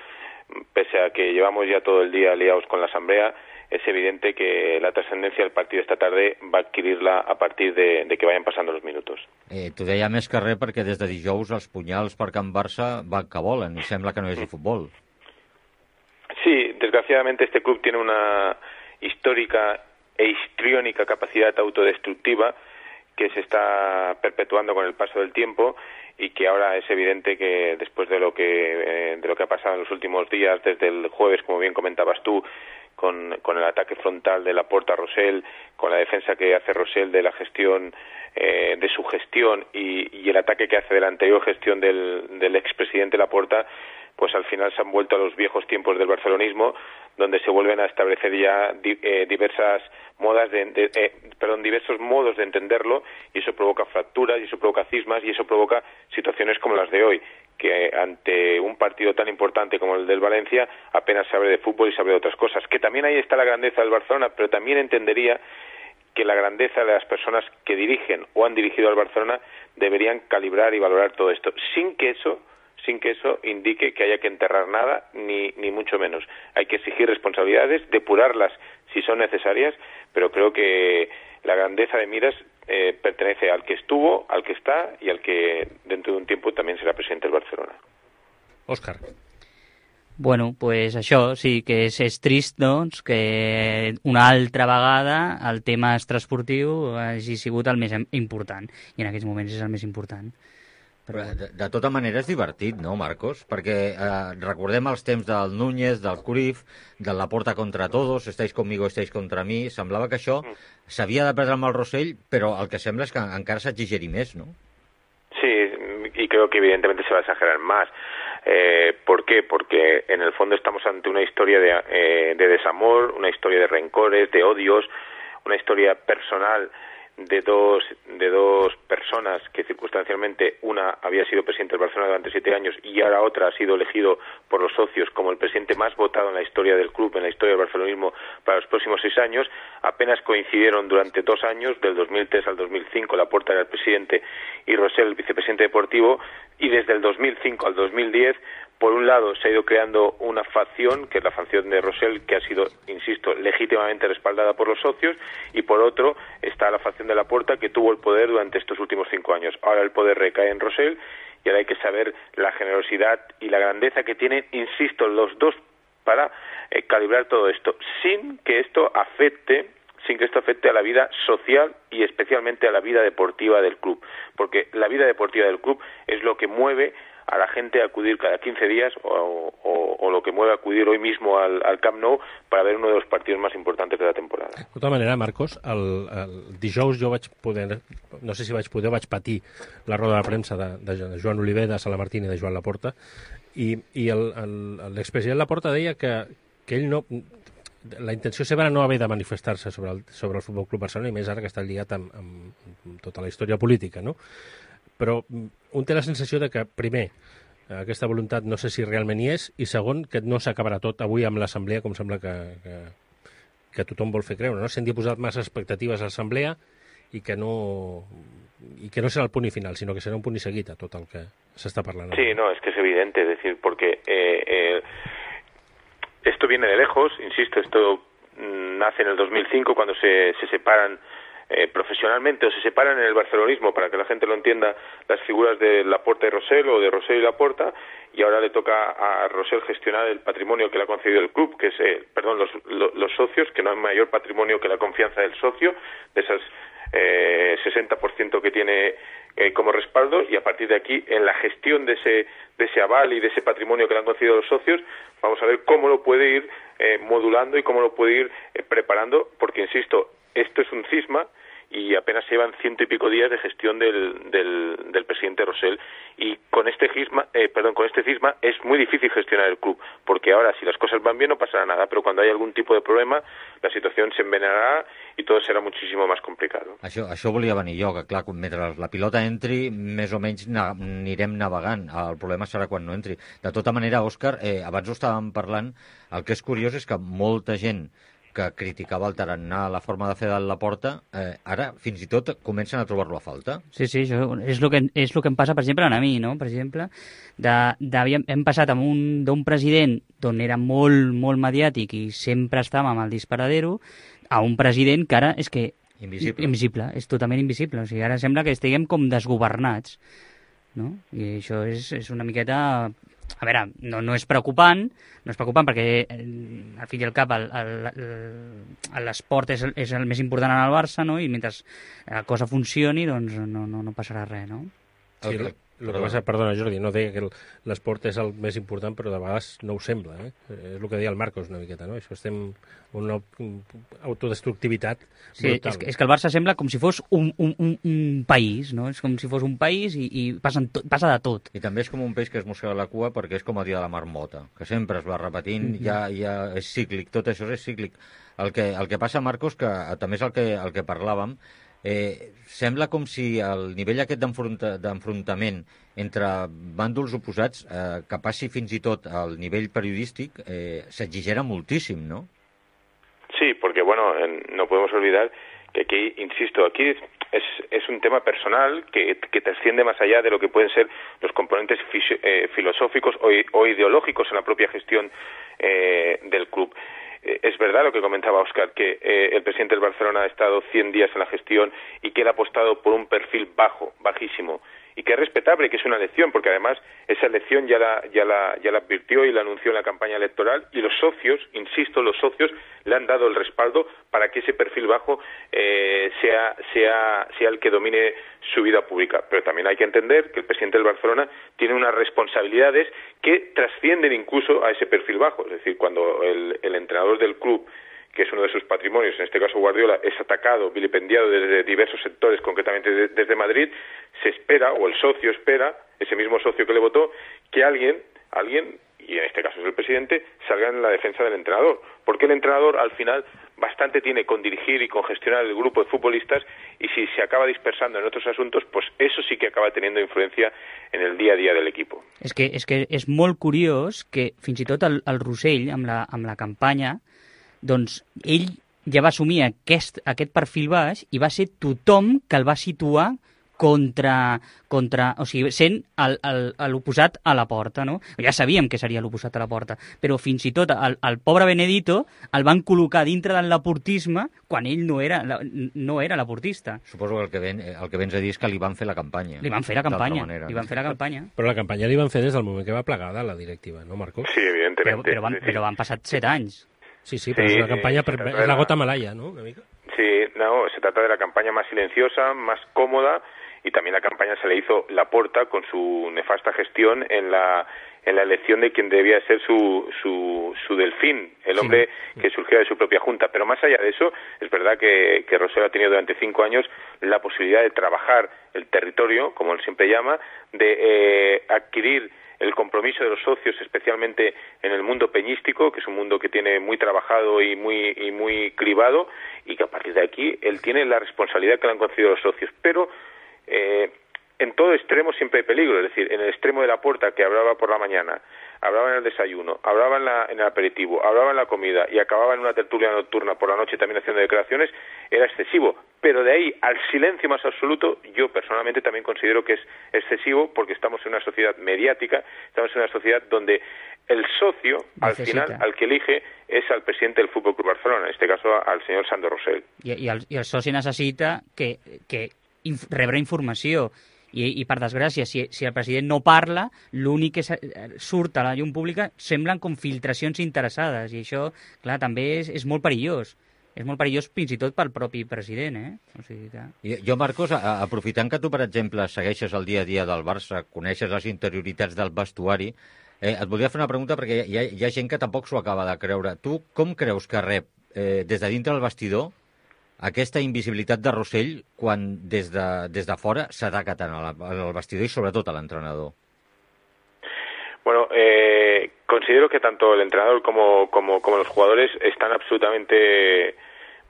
pese a que llevamos ya todo el día liados con la asamblea, es evidente que la trascendencia del partido esta tarde va a adquirirla a partir de, de que vayan pasando los minutos. Eh, T'ho deia més que res perquè des de dijous els punyals per Can Barça van que volen i sembla que no hi hagi futbol. Sí, desgraciadamente este club tiene una histórica e histriónica capacidad autodestructiva que se está perpetuando con el paso del tiempo y que ahora es evidente que después de lo que eh, de lo que ha pasado en los últimos días, desde el jueves, como bien comentabas tú, con, con el ataque frontal de Laporta a Rosell, con la defensa que hace Rosell de la gestión, eh, de su gestión y, y el ataque que hace de la anterior gestión del, del expresidente Laporta, pues al final se han vuelto a los viejos tiempos del barcelonismo, donde se vuelven a establecer ya di, eh, diversas modas de, de eh, perdón, diversos modos de entenderlo, y eso provoca fracturas, y eso provoca cismas, y eso provoca situaciones como las de hoy, que ante un partido tan importante como el del Valencia apenas se habla de fútbol y se habla de otras cosas. Que también ahí está la grandeza del Barcelona, pero también entendería que la grandeza de las personas que dirigen o han dirigido al Barcelona deberían calibrar y valorar todo esto, sin que eso sin que eso indique que haya que enterrar nada, ni, ni mucho menos. Hay que exigir responsabilidades, depurarlas si son necesarias, pero creo que la grandeza de miras eh, pertenece al que estuvo, al que está y al que dentro de un tiempo también será presidente del Barcelona. Òscar. Bueno, pues això sí que és, és trist, doncs, que una altra vegada el tema extraesportiu hagi sigut el més important, i en aquests moments és el més important. Però de, de tota manera és divertit, no, Marcos? Perquè eh, recordem els temps del Núñez, del Cruyff, de Laporta contra todos, estáis conmigo, estáis contra mi. Semblava que això s'havia de perdre amb el Rosell, però el que sembla és que encara s'exigeri més, ¿no? Sí, y creo que evidentemente se va a exagerar más. Eh, ¿Por qué? Porque en el fondo estamos ante una historia de, eh, de desamor, una historia de rencores, de odios, una historia personal de dos de dos personas que circunstancialmente una había sido presidente del Barcelona durante siete años y ahora otra ha sido elegido por los socios como el presidente más votado en la historia del club, en la historia del barcelonismo para los próximos seis años. Apenas coincidieron durante dos años, del dos mil tres al dos mil cinco, Laporta era el presidente y Rosell el vicepresidente deportivo, y desde el dos mil cinco al dos mil diez, por un lado se ha ido creando una facción, que es la facción de Rosell, que ha sido, insisto, legítimamente respaldada por los socios, y por otro está la facción de Laporta, que tuvo el poder durante estos últimos cinco años. Ahora el poder recae en Rosell, y ahora hay que saber la generosidad y la grandeza que tienen, insisto, los dos para eh, calibrar todo esto, sin que esto afecte sin que esto afecte a la vida social y especialmente a la vida deportiva del club, porque la vida deportiva del club es lo que mueve a la gente a acudir cada quinze días o, o, o lo que mueve a acudir hoy mismo al, al Camp Nou para ver uno de los partidos más importantes de la temporada. De tota manera, Marcos, el, el dijous jo vaig poder, no sé si vaig poder, vaig patir la roda de premsa de, de Joan Oliver, de Sala Martín i de Joan Laporta, i, i l'expresident Laporta deia que, que ell no... La intenció seva era no haver de manifestar-se sobre el, sobre el Futbol Club Barcelona, i més ara que està lligat amb, amb tota la història política, no? Però un té la sensació de que, primer, aquesta voluntat no sé si realment hi és, i segon, que no s'acabarà tot avui amb l'assemblea, com sembla que, que, que tothom vol fer creure, no? S'han posat massa expectatives a l'assemblea i que no i que no serà el punt i final, sino que serà un punt i seguit a tot el que s'està parlant. Sí, no, es que es evidente, es decir, porque eh, eh, esto viene de lejos, insisto, esto mm, nace en el dos mil cinco cuando se, se separan Eh, profesionalmente o se separan en el barcelonismo, para que la gente lo entienda, las figuras de Laporta y Rosell o de Rosell y Laporta, y ahora le toca a Rosell gestionar el patrimonio que le ha concedido el club, que es, eh, perdón, los, los, los socios, que no hay mayor patrimonio que la confianza del socio, de esas eh, sesenta por ciento que tiene eh, como respaldo, y a partir de aquí, en la gestión de ese, de ese aval y de ese patrimonio que le han concedido los socios, vamos a ver cómo lo puede ir eh, modulando y cómo lo puede ir eh, preparando, porque, insisto, esto es un cisma y apenas llevan ciento y pico días de gestión del, del, del presidente Rosell, y con este cisma, eh, perdón, con este cisma es muy difícil gestionar el club, porque ahora si las cosas van bien no pasará nada, pero cuando hay algún tipo de problema la situación se envenenará y todo será muchísimo más complicado. Això, això volia venir jo, que clar, mentre la pilota entri, més o menys na, anirem navegant. El problema serà quan no entri. De tota manera, Òscar, eh, abans ho estàvem parlant, el que és curiós és que molta gent que criticava el tarannà, la forma de fer de Laporta, eh, ara fins i tot comencen a trobar-lo a falta. Sí, sí, això és el que, és el que em passa, per exemple, a mi, no? Per exemple, de, de, hem passat d'un president on era molt, molt mediàtic i sempre estava amb el disparadero, a un president que ara és que... Invisible. Invisible, és totalment invisible. O sigui, ara sembla que estiguem com desgovernats, no? I això és, és una miqueta... A veure, no, no és preocupant, no és preocupant perquè, al fi i al cap, l'esport és, és el més important en el Barça, no? I mentre la cosa funcioni, doncs no, no, no passarà res, no? Sí, el, el que passa, perdona, Jordi, no deia que l'esport és el més important, però de vegades no ho sembla, eh? És el que deia el Marcos una miqueta, no? Això estem en una autodestructivitat sí, brutal. És que, és que el Barça sembla com si fos un, un, un, un país, no? És com si fos un país i, i passen to, passa de tot. I també és com un peix que es mossega la cua perquè és com el dia de la marmota, que sempre es va repetint, mm -hmm. ja, ja és cíclic, tot això és cíclic. El que, el que passa, Marcos, que també és el que, el que parlàvem, Eh, sembla com si el nivell aquest d'enfrontament entre bàndols oposats eh, que passi fins i tot al nivell periodístic eh, s'exigera moltíssim, ¿no? Sí, porque bueno, no podemos olvidar que aquí, insisto, aquí es, es un tema personal que, que trasciende más allá de lo que pueden ser los componentes fisi- eh, filosóficos o, o ideológicos en la propia gestión eh, del club. Es verdad lo que comentaba Óscar, que eh, el presidente del Barcelona ha estado cien días en la gestión y que él ha apostado por un perfil bajo, bajísimo, y que es respetable, que es una elección, porque además esa elección ya la, ya la, ya la advirtió y la anunció en la campaña electoral, y los socios, insisto, los socios le han dado el respaldo para que ese perfil bajo eh, sea, sea, sea el que domine su vida pública. Pero también hay que entender que el presidente del Barcelona tiene unas responsabilidades que trascienden incluso a ese perfil bajo. Es decir, cuando el, el entrenador del club, que es uno de sus patrimonios, en este caso Guardiola, es atacado, vilipendiado desde diversos sectores, concretamente de, desde Madrid, se espera, o el socio espera, ese mismo socio que le votó, que alguien, alguien, y en este caso es el presidente, salga en la defensa del entrenador. Porque el entrenador, al final, bastante tiene con dirigir y con gestionar el grupo de futbolistas, y si se acaba dispersando en otros asuntos, pues eso sí que acaba teniendo influencia en el día a día del equipo. És que és, que és molt curiós que fins i tot el, el Rossell, amb la, amb la campanya, doncs ell ja va assumir aquest, aquest perfil baix i va ser tothom que el va situar contra, contra o sigui, sent l'oposat a la porta, no? Ja sabíem que seria l'oposat a la porta, però fins i tot el, el pobre Benedito el van col·locar dintre del laportisme quan ell no era, no era laportista. Suposo que el que, ven, el que vens a dir és que li van fer la campanya. Li van fer la campanya, li van fer la campanya. Però la campanya li van fer des del moment que va plegar de la directiva, no, Marcos? Sí, evidentemente. Però, però, van, però van passar set anys. Sí, sí, pero sí, es una campaña, sí, es la gota malaya, ¿no? ¿Una amiga? Sí, no, se trata de la campaña más silenciosa, más cómoda, y también la campaña se le hizo Laporta con su nefasta gestión en la en la elección de quien debía ser su su, su delfín, el hombre sí. que surgía de su propia junta. Pero más allá de eso, es verdad que, que Rosell ha tenido durante cinco años la posibilidad de trabajar el territorio, como él siempre llama, de eh, adquirir el compromiso de los socios, especialmente en el mundo peñístico, que es un mundo que tiene muy trabajado y muy y muy cribado, y que a partir de aquí él tiene la responsabilidad que le han concedido los socios. Pero eh, en todo extremo siempre hay peligro, es decir, en el extremo de la puerta, que hablaba por la mañana, hablaba en el desayuno, hablaba en, la, en el aperitivo, hablaba en la comida y acababa en una tertulia nocturna por la noche también haciendo declaraciones, era excesivo. Pero de ahí al silencio más absoluto, yo personalmente también considero que es excesivo, porque estamos en una sociedad mediática, estamos en una sociedad donde el socio, Necesita. al final, al que elige, es al presidente del Fútbol Club Barcelona, en este caso al señor Sandro Rosell. I, i, el, i el soci necessita que, que inf rebre informació. I, i per desgràcia, si, si el president no parla, l'únic que surt a la llum pública semblen com filtracions interessades, i això, clar, també és, és molt perillós. És molt perillós fins i tot pel propi president, eh? O sigui que... Jo, Marcos, aprofitant que tu, per exemple, segueixes el dia a dia del Barça, coneixes les interioritats del vestuari, eh, et volia fer una pregunta perquè hi ha, hi ha gent que tampoc s'ho acaba de creure. Tu com creus que rep eh, des de dintre del vestidor aquesta invisibilitat de Rosell quan des de, des de fora s'ataca tant al vestidor i sobretot a l'entrenador? Bueno, eh, considero que tanto el entrenador como, como, como los jugadores están absolutamente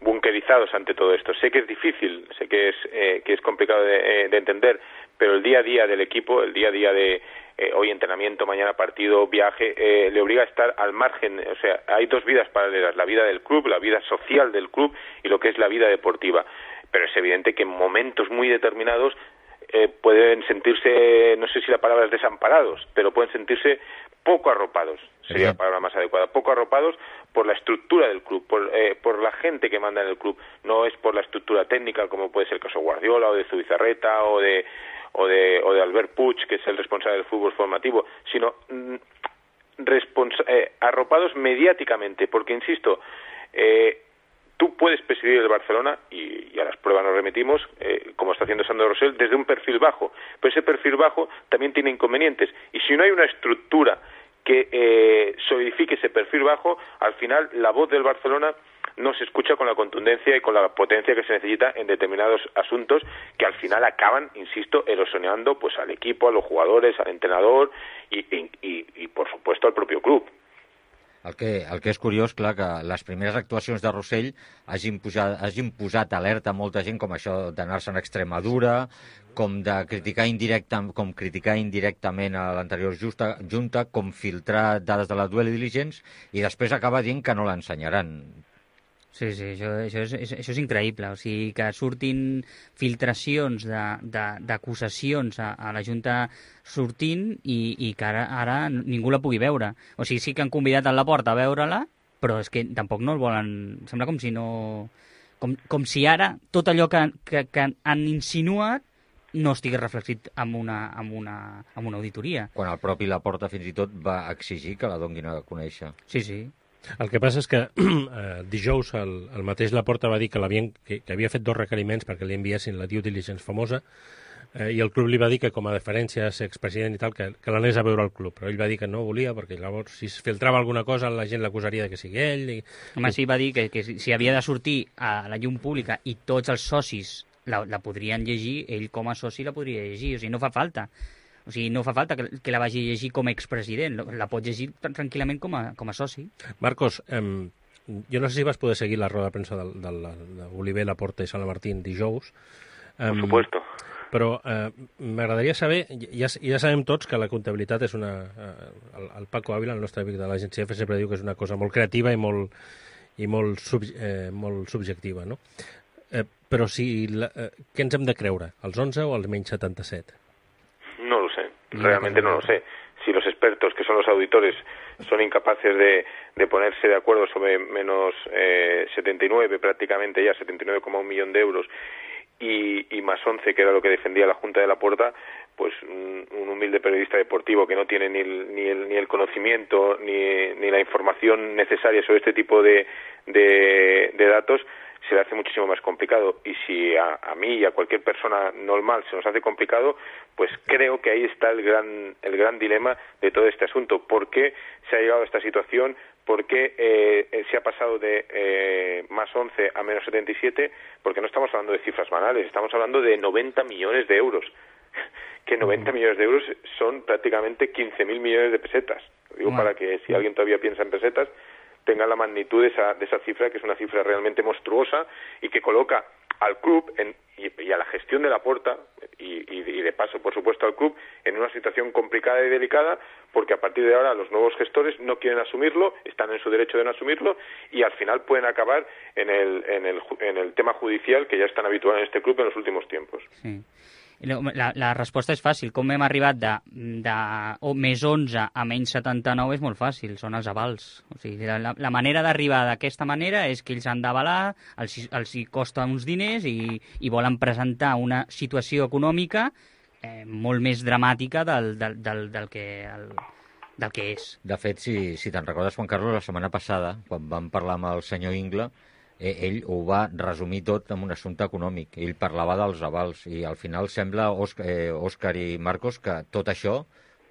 bunkerizados ante todo esto. Sé que es difícil, sé que es, eh, que es complicado de, de entender, pero el día a día del equipo, el día a día de eh, hoy entrenamiento, mañana partido, viaje, eh, le obliga a estar al margen. O sea, hay dos vidas paralelas, la vida del club, la vida social del club y lo que es la vida deportiva. Pero es evidente que en momentos muy determinados eh, pueden sentirse, no sé si la palabra es desamparados, pero pueden sentirse poco arropados. sería la palabra más adecuada, poco arropados por la estructura del club, por, eh, por la gente que manda en el club, no es por la estructura técnica como puede ser el caso Guardiola o de Zubizarreta o de o de o de Albert Puig, que es el responsable del fútbol formativo, sino mm, responsa- eh, arropados mediáticamente, porque insisto, eh, tú puedes presidir el Barcelona, y, y a las pruebas nos remitimos, eh, como está haciendo Sandro Rosell, desde un perfil bajo. Pero ese perfil bajo también tiene inconvenientes. Y si no hay una estructura que eh, solidifique ese perfil bajo, al final la voz del Barcelona no se escucha con la contundencia y con la potencia que se necesita en determinados asuntos que al final acaban, insisto, erosionando pues al equipo, a los jugadores, al entrenador y, y, y, y por supuesto, al propio club. El que, el que és curiós, clar, que les primeres actuacions de Rosell hagin, pujat, hagin posat alerta a molta gent, com això d'anar-se'n a Extremadura, com de criticar indirecta, com criticar indirectament a l'anterior justa, junta, com filtrar dades de la duel diligence, i després acaba dient que no l'ensenyaran. Sí, sí, això, això, és, això és increïble. O sigui, que surtin filtracions d'acusacions a, a la Junta sortint i, i que ara, ara ningú la pugui veure. O sigui, sí que han convidat a Laporta a veure-la, però és que tampoc no el volen... Sembla com si no... Com, com si ara tot allò que, que, que han insinuat no estigui reflexit en una, en, una, en una auditoria. Quan el propi Laporta fins i tot va exigir que la donguin a conèixer. Sí, sí. El que passa és que eh, dijous el, el mateix Laporta va dir que, que, que havia fet dos requeriments perquè li enviessin la due diligence famosa eh, i el club li va dir que com a deferència a ser expresident i tal, que, que l'anés a veure al club, però ell va dir que no volia perquè llavors si es filtrava alguna cosa la gent l'acusaria que sigui ell. I... Home, sí, va dir que, que si havia de sortir a la llum pública i tots els socis la, la podrien llegir, ell com a soci la podria llegir, o sigui, no fa falta. O sigui, no fa falta que, que la vagi a llegir com a expresident, la pot llegir tranquil·lament com a, com a soci. Marcos, eh, jo no sé si vas poder seguir la roda de premsa d'Oliver, Laporta i Salamartín dijous. Eh, Por supuesto. Però eh, m'agradaria saber, ja, ja sabem tots que la comptabilitat és una... Eh, el, el Paco Ávila, el nostre amic de l'agència F, sempre diu que és una cosa molt creativa i molt, i molt, sub, eh, molt subjectiva, no? Eh, però si la, eh, què ens hem de creure, els onze o els menys setanta-set? No lo sé, realmente no lo sé. Si los expertos, que son los auditores, son incapaces de, de ponerse de acuerdo sobre menos eh, setenta y nueve, prácticamente ya setenta y nueve coma uno millón de euros, y, y más once, que era lo que defendía la Junta de Laporta, pues un, un humilde periodista deportivo que no tiene ni el, ni el, ni el conocimiento ni, ni la información necesaria sobre este tipo de, de, de datos, se le hace muchísimo más complicado. Y si a, a mí y a cualquier persona normal se nos hace complicado, pues creo que ahí está el gran el gran dilema de todo este asunto. ¿Por qué se ha llegado a esta situación? ¿Por qué eh, se ha pasado de eh, más once a menos setenta y siete? Porque no estamos hablando de cifras banales, estamos hablando de noventa millones de euros. Que noventa millones de euros son prácticamente quince mil millones de pesetas. Lo digo para que si alguien todavía piensa en pesetas, tenga la magnitud de esa, de esa cifra, que es una cifra realmente monstruosa y que coloca al club en, y, y a la gestión de Laporta y, y, y de paso, por supuesto, al club en una situación complicada y delicada, porque a partir de ahora los nuevos gestores no quieren asumirlo, están en su derecho de no asumirlo y al final pueden acabar en el, en el, en el tema judicial que ya es tan habitual en este club en los últimos tiempos. Sí. La, la resposta és fàcil. Com hem arribat de, de o més onze a menys setanta-nou és molt fàcil, són els avals. O sigui, la, la manera d'arribar d'aquesta manera és que ells han d'avalar, els, els hi costa uns diners i, i volen presentar una situació econòmica eh, molt més dramàtica del, del, del, del, que, el, del que és. De fet, si, si te'n recordes, Juan Carlos, la setmana passada, quan vam parlar amb el senyor Ingla, ell ho va resumir tot en un assumpte econòmic. Ell parlava dels avals i al final sembla, Òscar, eh, Òscar i Marcos, que tot això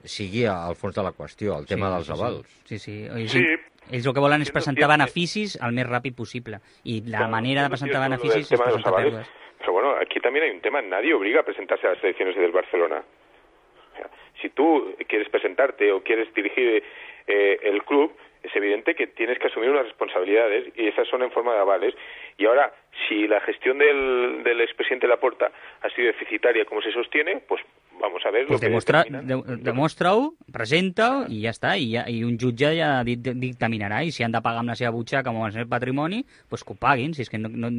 sigui al fons de la qüestió, el tema sí, dels avals. Sí, sí. Ells, sí. Ells el que volen és presentar beneficis el més ràpid possible i la claro, manera de presentar beneficis és presentar pèrdues. Pero bueno, aquí también hay un tema, nadie obliga a presentarse a las elecciones del Barcelona. O sea, si tú quieres presentarte o quieres dirigir eh, el club, es evidente que tienes que asumir unas responsabilidades y esas son en forma de avales. Y ahora, si la gestión del, del expresidente Laporta ha sido deficitaria como se sostiene, pues vamos a ver... Pues lo demostra, que de, demostra-ho, presenta-ho i ja està. I, ja, I un jutge ja dictaminarà i si han de pagar amb la seva butxaca com el seu patrimoni, pues que ho paguin, si és que no... no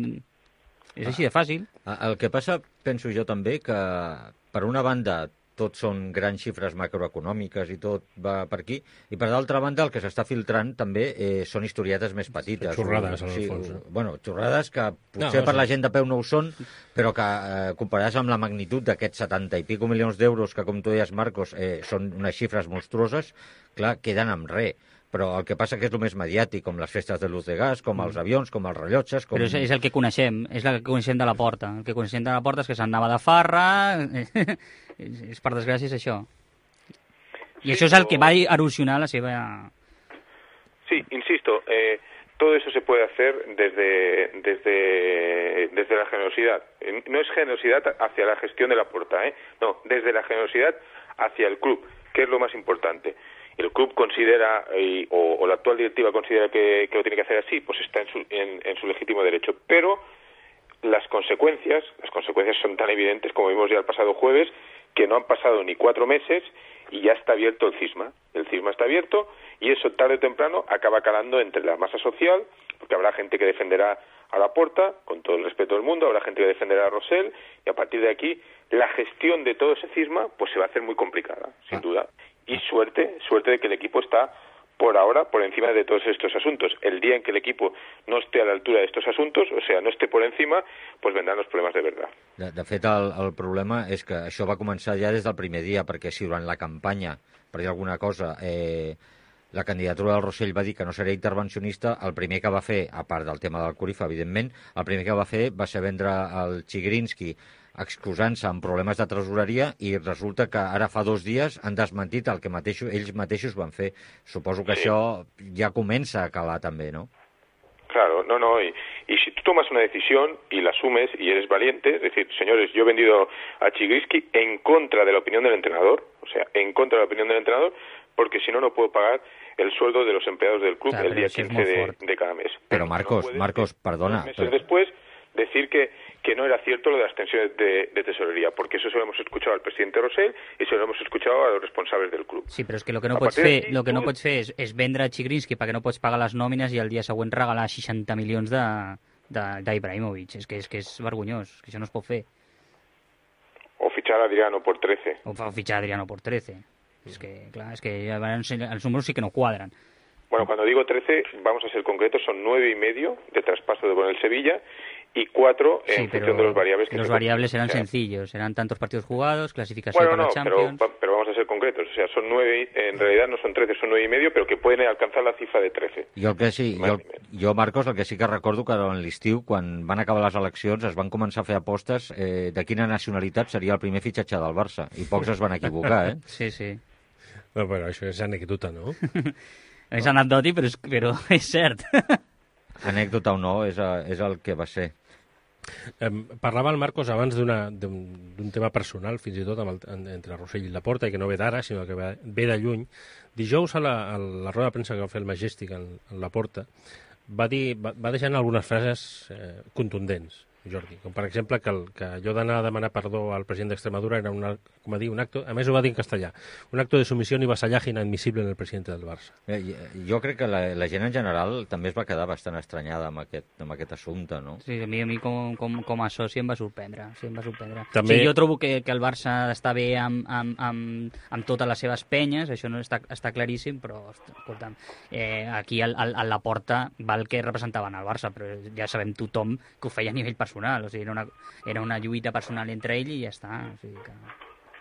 és així de fàcil. El que passa, penso jo també, que per una banda tot són grans xifres macroeconòmiques i tot va per aquí, i per d'altra banda el que s'està filtrant també eh, són historietes més petites. Xorrades, en el sí, fons. No? Bueno, xorrades que potser No, per sí. la gent de peu no ho són, però que eh, comparats amb la magnitud d'aquests setanta i pico milions d'euros que, com tu deies, Marcos, eh, són unes xifres monstruoses, clar, queden amb res. Però el que passa que és el més mediàtic, com les festes de luz de gas, com els avions, com els rellotges... Com... Però és, és el que coneixem, és el que coneixem de la Porta. El que coneixem de la Porta és que s'anava de farra, és, és per desgràcia és això. I Sí, això és el o- que va erosionar la seva... Sí, insisto, eh, todo eso se puede hacer desde, desde, desde la generosidad. Eh, No es generosidad hacia la gestión de la Porta, ¿eh? No, desde la generosidad hacia el club, que es lo más importante. El club considera, y, o, o la actual directiva considera que, que lo tiene que hacer así, pues está en su, en, en su legítimo derecho. Pero las consecuencias, las consecuencias son tan evidentes, como vimos ya el pasado jueves, que no han pasado ni cuatro meses y ya está abierto el cisma. El cisma está abierto y eso tarde o temprano acaba calando entre la masa social, porque habrá gente que defenderá a Laporta, con todo el respeto del mundo, habrá gente que defenderá a Rosell, y a partir de aquí la gestión de todo ese cisma pues se va a hacer muy complicada, sin duda. Y suerte, suerte de que el equipo está por ahora por encima de todos estos asuntos. El día en que el equipo no esté a la altura de estos asuntos, o sea, no esté por encima, pues vendrán los problemas de verdad. De, de fet, el, el problema és que això va començar ja des del primer dia, perquè si durant la campanya, per dir alguna cosa, eh, la candidatura del Rosell va dir que no seria intervencionista, el primer que va fer, a part del tema del Corifa, evidentment, el primer que va fer va ser vendre el Chigrinsky excusant-se amb problemes de tresoreria i resulta que ara fa dos dies han desmentit el que mateixos, ells mateixos van fer. Suposo que Sí. això ja comença a calar també, no? Claro, no, no, y, y si tú tomas una decisión y la asumes y eres valiente, es decir, señores, yo he vendido a Chigrinsky en contra de la opinión del entrenador, o sea, en contra de la opinión del entrenador, porque si no, no puedo pagar el sueldo de los empleados del club Claro, el día eso es quince muy de, fuerte. de cada mes. Pero no Marcos, puedes, Marcos, perdona, dos meses pero- después decir que, que no era cierto lo de las tensiones de, de tesorería, porque eso se lo hemos escuchado al presidente Rosell y se lo hemos escuchado a los responsables del club. Sí, però és que el que no A pots partir fer, d'aquí, lo que no tu- pots fer és, és vendre Chigrinsky perquè no pots pagar les nòmines i el dia següent regalar seixanta milions de de- d'Ibrahimovic. És que és que és vergonyós, que això no es pot fer. O fichar a Adriano por trece. O fa fitxar Adriano por trece. És que, clar, és que ja van ensenyar- els números sí que no quadren. Bueno, cuando digo trece, vamos a ser concretos, son nueve y medio de traspaso de con el Sevilla y cuatro en Sí, función de los variables que los se variables eran o sea, sencillos, eran tantos partidos jugados, clasificación Bueno, para no, la pero, Champions. va- pero vamos a ser concretos. O sea, son nueve, y- en realidad no son trece, son nueve y medio, pero que pueden alcanzar la cifra de trece. Jo, el que sí, jo, Vale. jo, Marcos, el que sí que recordo que en l'estiu, quan van acabar les eleccions, es van començar a fer apostes eh, de quina nacionalitat seria el primer fitxatge del Barça. I pocs es van equivocar, eh? Sí, sí. Bueno, però això és anècdota, no? És anecdòtic, però és, però és cert. Anècdota o no, és, a, és el que va ser. Em, parlava el Marcos abans d'una- d'un d'un tema personal, fins i tot amb el, en, entre Rosell i Laporta, i que no ve d'ara, sinó que ve, ve de lluny. Dijous, a la, a la roda de premsa que va fer el Majestic en, en Laporta, va, dir, va, va deixar algunes frases eh, contundents, Jordi, com per exemple que, el, que allò d'anar a demanar perdó al president d'Extremadura era una, com a dir, un acto, a més ho va dir en castellà, un acto de sumisión y vasallaje inadmisible en el presidente del Barça. Eh, Jo crec que la, la gent en general també es va quedar bastant estranyada amb aquest, amb aquest assumpte, no? Sí, a mi, a mi com, com, com a soci em va sorprendre. Sí, em va sorprendre. També- Sí, jo trobo que, que el Barça està bé amb, amb, amb, amb totes les seves penyes, això no està, està claríssim, però, escolta'm, eh, aquí al, al, a la porta val que representaven el Barça, però ja sabem tothom que ho feia a nivell personal, o sigui, era una, era una lluita personal entre ell i ja està. O sigui que,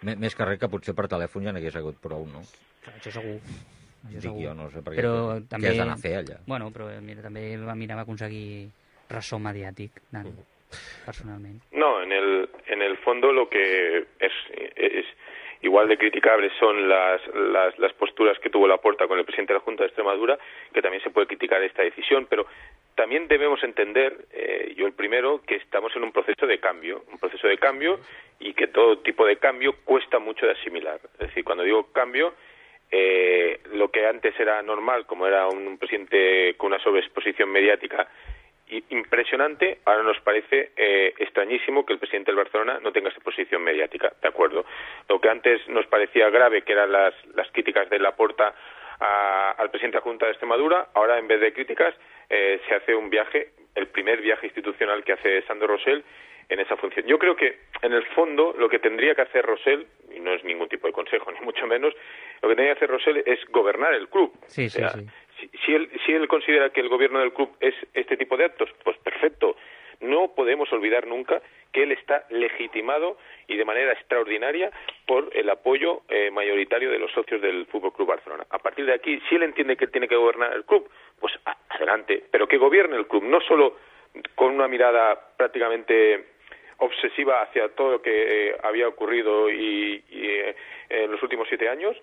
M Més que res que potser per telèfon ja n'hagués hagut prou, no? clar, això segur. Això Dic segur. jo, no sé, perquè Però què també, has d'anar a fer allà? Bueno, però mira, també va mirar aconseguir ressò mediàtic, anant, personalment. No, en el, en el fondo lo que es, es igual de criticables son las, las, las posturas que tuvo Laporta con el presidente de la Junta de Extremadura, que también se puede criticar esta decisión, pero también debemos entender, eh, yo el primero, que estamos en un proceso de cambio, un proceso de cambio y que todo tipo de cambio cuesta mucho de asimilar. Es decir, cuando digo cambio, eh, lo que antes era normal, como era un, un presidente con una sobreexposición mediática i- impresionante, ahora nos parece eh, extrañísimo que el presidente del Barcelona no tenga esta posición mediática, ¿de acuerdo? Lo que antes nos parecía grave, que eran las, las críticas de Laporta a, al presidente de la Junta de Extremadura, ahora en vez de críticas eh, se hace un viaje, el primer viaje institucional que hace Sandro Rosell, en esa función. Yo creo que, en el fondo, lo que tendría que hacer Rosell, y no es ningún tipo de consejo, ni mucho menos, lo que tendría que hacer Rosell es gobernar el club. Sí, sí, o sea, sí. Si, si, él, si él considera que el gobierno del club es este tipo de actos, pues perfecto. No podemos olvidar nunca que él está legitimado y de manera extraordinaria por el apoyo eh, mayoritario de los socios del F C Barcelona. A partir de aquí, si él entiende que él tiene que gobernar el club, pues a- adelante, pero que gobierne el club, no solo con una mirada prácticamente obsesiva hacia todo lo que eh, había ocurrido y, y eh, en los últimos siete años,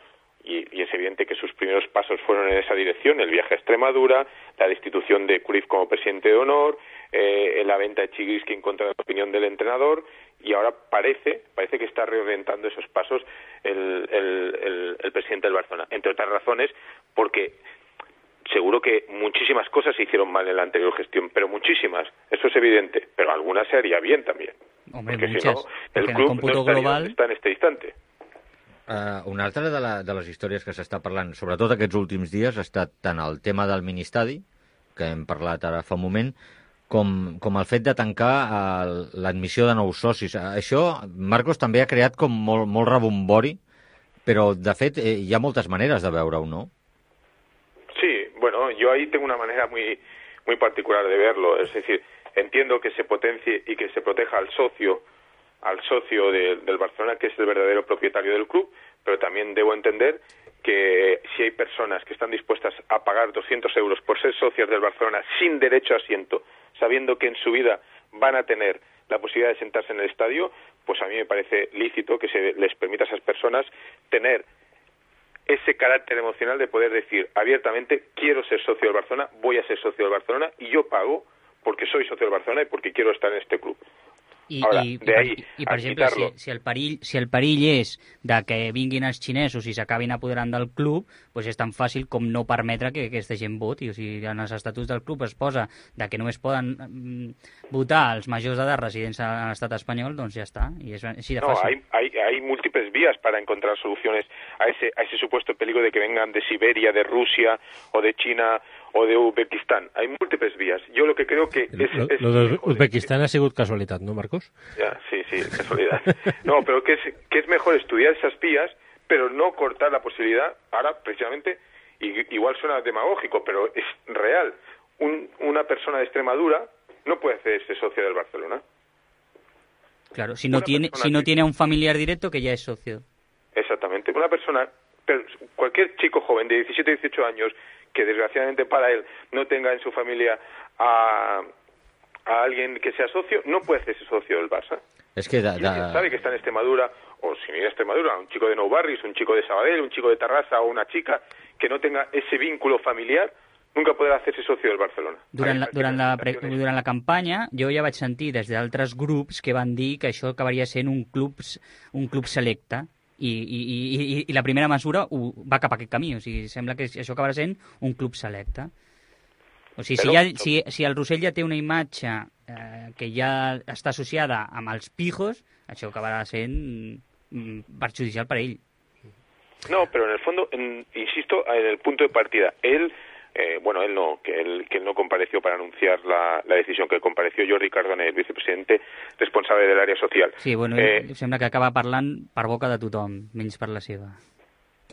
y, y es evidente que sus primeros pasos fueron en esa dirección, el viaje a Extremadura, la destitución de Cruyff como presidente de honor, eh, la venta de Chigriski en contra de la opinión del entrenador, y ahora parece parece que está reorientando esos pasos el, el, el, el presidente del Barcelona, entre otras razones porque seguro que muchísimas cosas se hicieron mal en la anterior gestión, pero muchísimas, eso es evidente, pero algunas se haría bien también. Hombre, porque muchas, si no, porque el en el club còmputo no estaria global... on està en este instante. Uh, una altra de, la, de les històries que s'està parlant, sobretot aquests últims dies, ha estat tant el tema del ministadi, que hem parlat ara fa un moment, com, com el fet de tancar el, l'admissió de nous socis. Això, Marcos, també ha creat com molt, molt rebombori, però, de fet, eh, hi ha moltes maneres de veure-ho, no? Sí, bueno, yo ahí tengo una manera muy, muy particular de verlo, es decir, entiendo que se potencie y que se proteja al socio, al socio de, del Barcelona, que es el verdadero propietario del club, pero también debo entender que si hay personas que están dispuestas a pagar doscientos euros por ser socias del Barcelona sin derecho a asiento, sabiendo que en su vida van a tener la posibilidad de sentarse en el estadio, pues a mí me parece lícito que se les permita a esas personas tener ese carácter emocional de poder decir abiertamente, quiero ser socio del Barcelona, voy a ser socio del Barcelona y yo pago porque soy socio del Barcelona y porque quiero estar en este club. I, Ara, i, de i, ahí per, i per a exemple, si, quitarlo. si, el perill, si el perill és de que vinguin els xinesos i s'acabin apoderant del club, doncs és tan fàcil com no permetre que aquesta gent voti. O sigui, en els estatuts del club es posa de que només poden mm, votar els majors d'edat residents a l'estat espanyol, doncs ja està. I és així de No, fàcil. hay, hay, hay múltiples vías para encontrar soluciones a ese, a ese supuesto peligro de que vengan de Siberia, de Rusia o de China o de Uzbekistán. Hay múltiples vías. Yo lo que creo que es... Lo, es lo de mejor Uzbekistán ha sigut casualitat, no, Marcos? Ya, sí, sí, casualidad. No, pero que es, que es mejor estudiar esas vías, pero no cortar la posibilidad, ahora precisamente, y, igual suena demagógico, pero es real, un, una persona de Extremadura no puede hacerse socio del Barcelona. Claro, si no, Una tiene, persona si no que- tiene a un familiar directo que ya es socio. Exactamente. Una persona, pero cualquier chico joven de diecisiete, dieciocho años, que desgraciadamente para él no tenga en su familia a, a alguien que sea socio, no puede hacerse socio del Barça. És que... De, Si alguien sabe que está en Extremadura, o si viene a Extremadura, un chico de Nou Barris, un chico de Sabadell, un chico de Tarrasa o una chica que no tenga ese vínculo familiar, nunca podrà hacerse socio del Barcelona. Durant la, Hay durant, la, pre- manifestaciones. durant la campanya jo ja vaig sentir des d'altres grups que van dir que això acabaria sent un club, un club selecte i, i, i, i- i la primera mesura ho, va cap a aquest camí, o sigui, sembla que això acabarà sent un club selecte. O sigui, si, Però- ja, si, si el Rossell ja té una imatge eh, que ja està associada amb els pijos, això acabarà sent mm, perjudicial per ell. No, pero en el fondo, en- insisto, en el punto de partida, él, eh, bueno, él no, que él, que él no compareció para anunciar la, la decisión, que compareció Jordi Cardone, el vicepresidente responsable del área social. Sí, bueno, Eh, ell sembla que acaba parlant per boca de tothom, menys per la seva.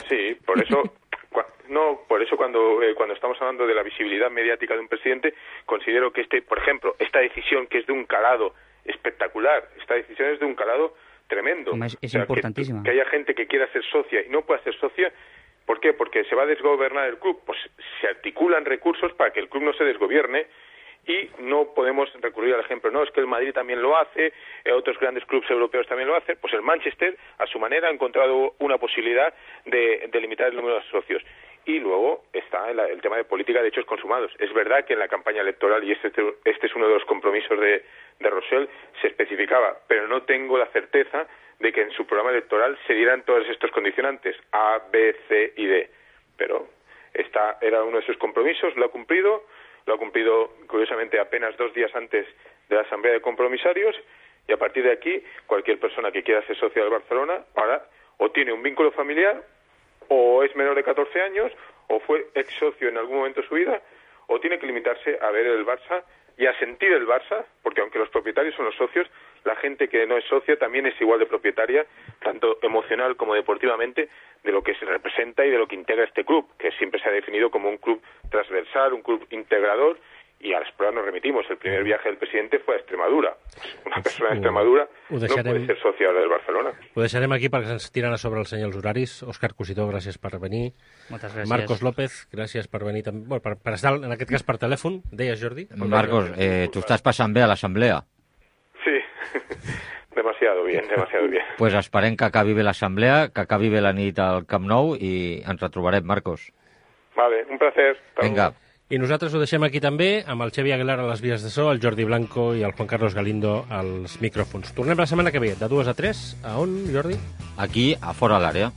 Sí, por eso, cua- no, por eso cuando eh, cuando estamos hablando de la visibilidad mediática de un presidente, considero que este, por ejemplo, esta decisión que es de un calado espectacular, esta decisión es de un calado tremendo. Home, és, és O sea, que- importantíssima. Que, haya gente que quiera ser socia y no pueda ser socia, ¿por qué? Porque se va a desgobernar el club. Pues se articulan recursos para que el club no se desgobierne y no podemos recurrir al ejemplo, no, es que el Madrid también lo hace, eh, otros grandes clubes europeos también lo hacen, pues el Manchester, a su manera, ha encontrado una posibilidad de, de limitar el número de socios. Y luego está el, el tema de política de hechos consumados. Es verdad que en la campaña electoral, y este, este es uno de los compromisos de, de Rosell, se especificaba, pero no tengo la certeza de que en su programa electoral se dieran todos estos condicionantes, A, B, C y D. Pero esta era uno de sus compromisos, lo ha cumplido, lo ha cumplido curiosamente apenas dos días antes de la Asamblea de Compromisarios, y a partir de aquí, cualquier persona que quiera ser socio del Barcelona, ahora o tiene un vínculo familiar, o es menor de catorce años, o fue ex socio en algún momento de su vida, o tiene que limitarse a ver el Barça y a sentir el Barça, porque aunque los propietarios son los socios, la gente que no es socia también es igual de propietaria, tanto emocional como deportivamente, de lo que se representa y de lo que integra este club, que siempre se ha definido como un club transversal, un club integrador, y a las pruebas nos remitimos. El primer viaje del presidente fue a Extremadura. Una persona de Extremadura no puede ser socia ahora del Barcelona. Ho deixarem aquí perquè ens tiren a sobre el senyor els horaris. Òscar Cositó, gràcies per venir. Moltes gràcies. Marcos López, gràcies per venir també. Bueno, per, per estar, en aquest cas, per telèfon. Deies, Jordi? Marcos, eh, tu estàs passant bé a l'assemblea. Sí, demasiado bien, demasiado bien. Pues esperem que acabi bé l'assemblea, que acabi bé la nit al Camp Nou i ens retrobarem, Marcos. Vale, un placer. Vinga. I nosaltres ho deixem aquí també, amb el Xavi Aguilar a les vies de so, el Jordi Blanco i el Juan Carlos Galindo als micròfons. Tornem la setmana que ve, de dues a tres. A on, Jordi? Aquí, a Fora l'Àrea.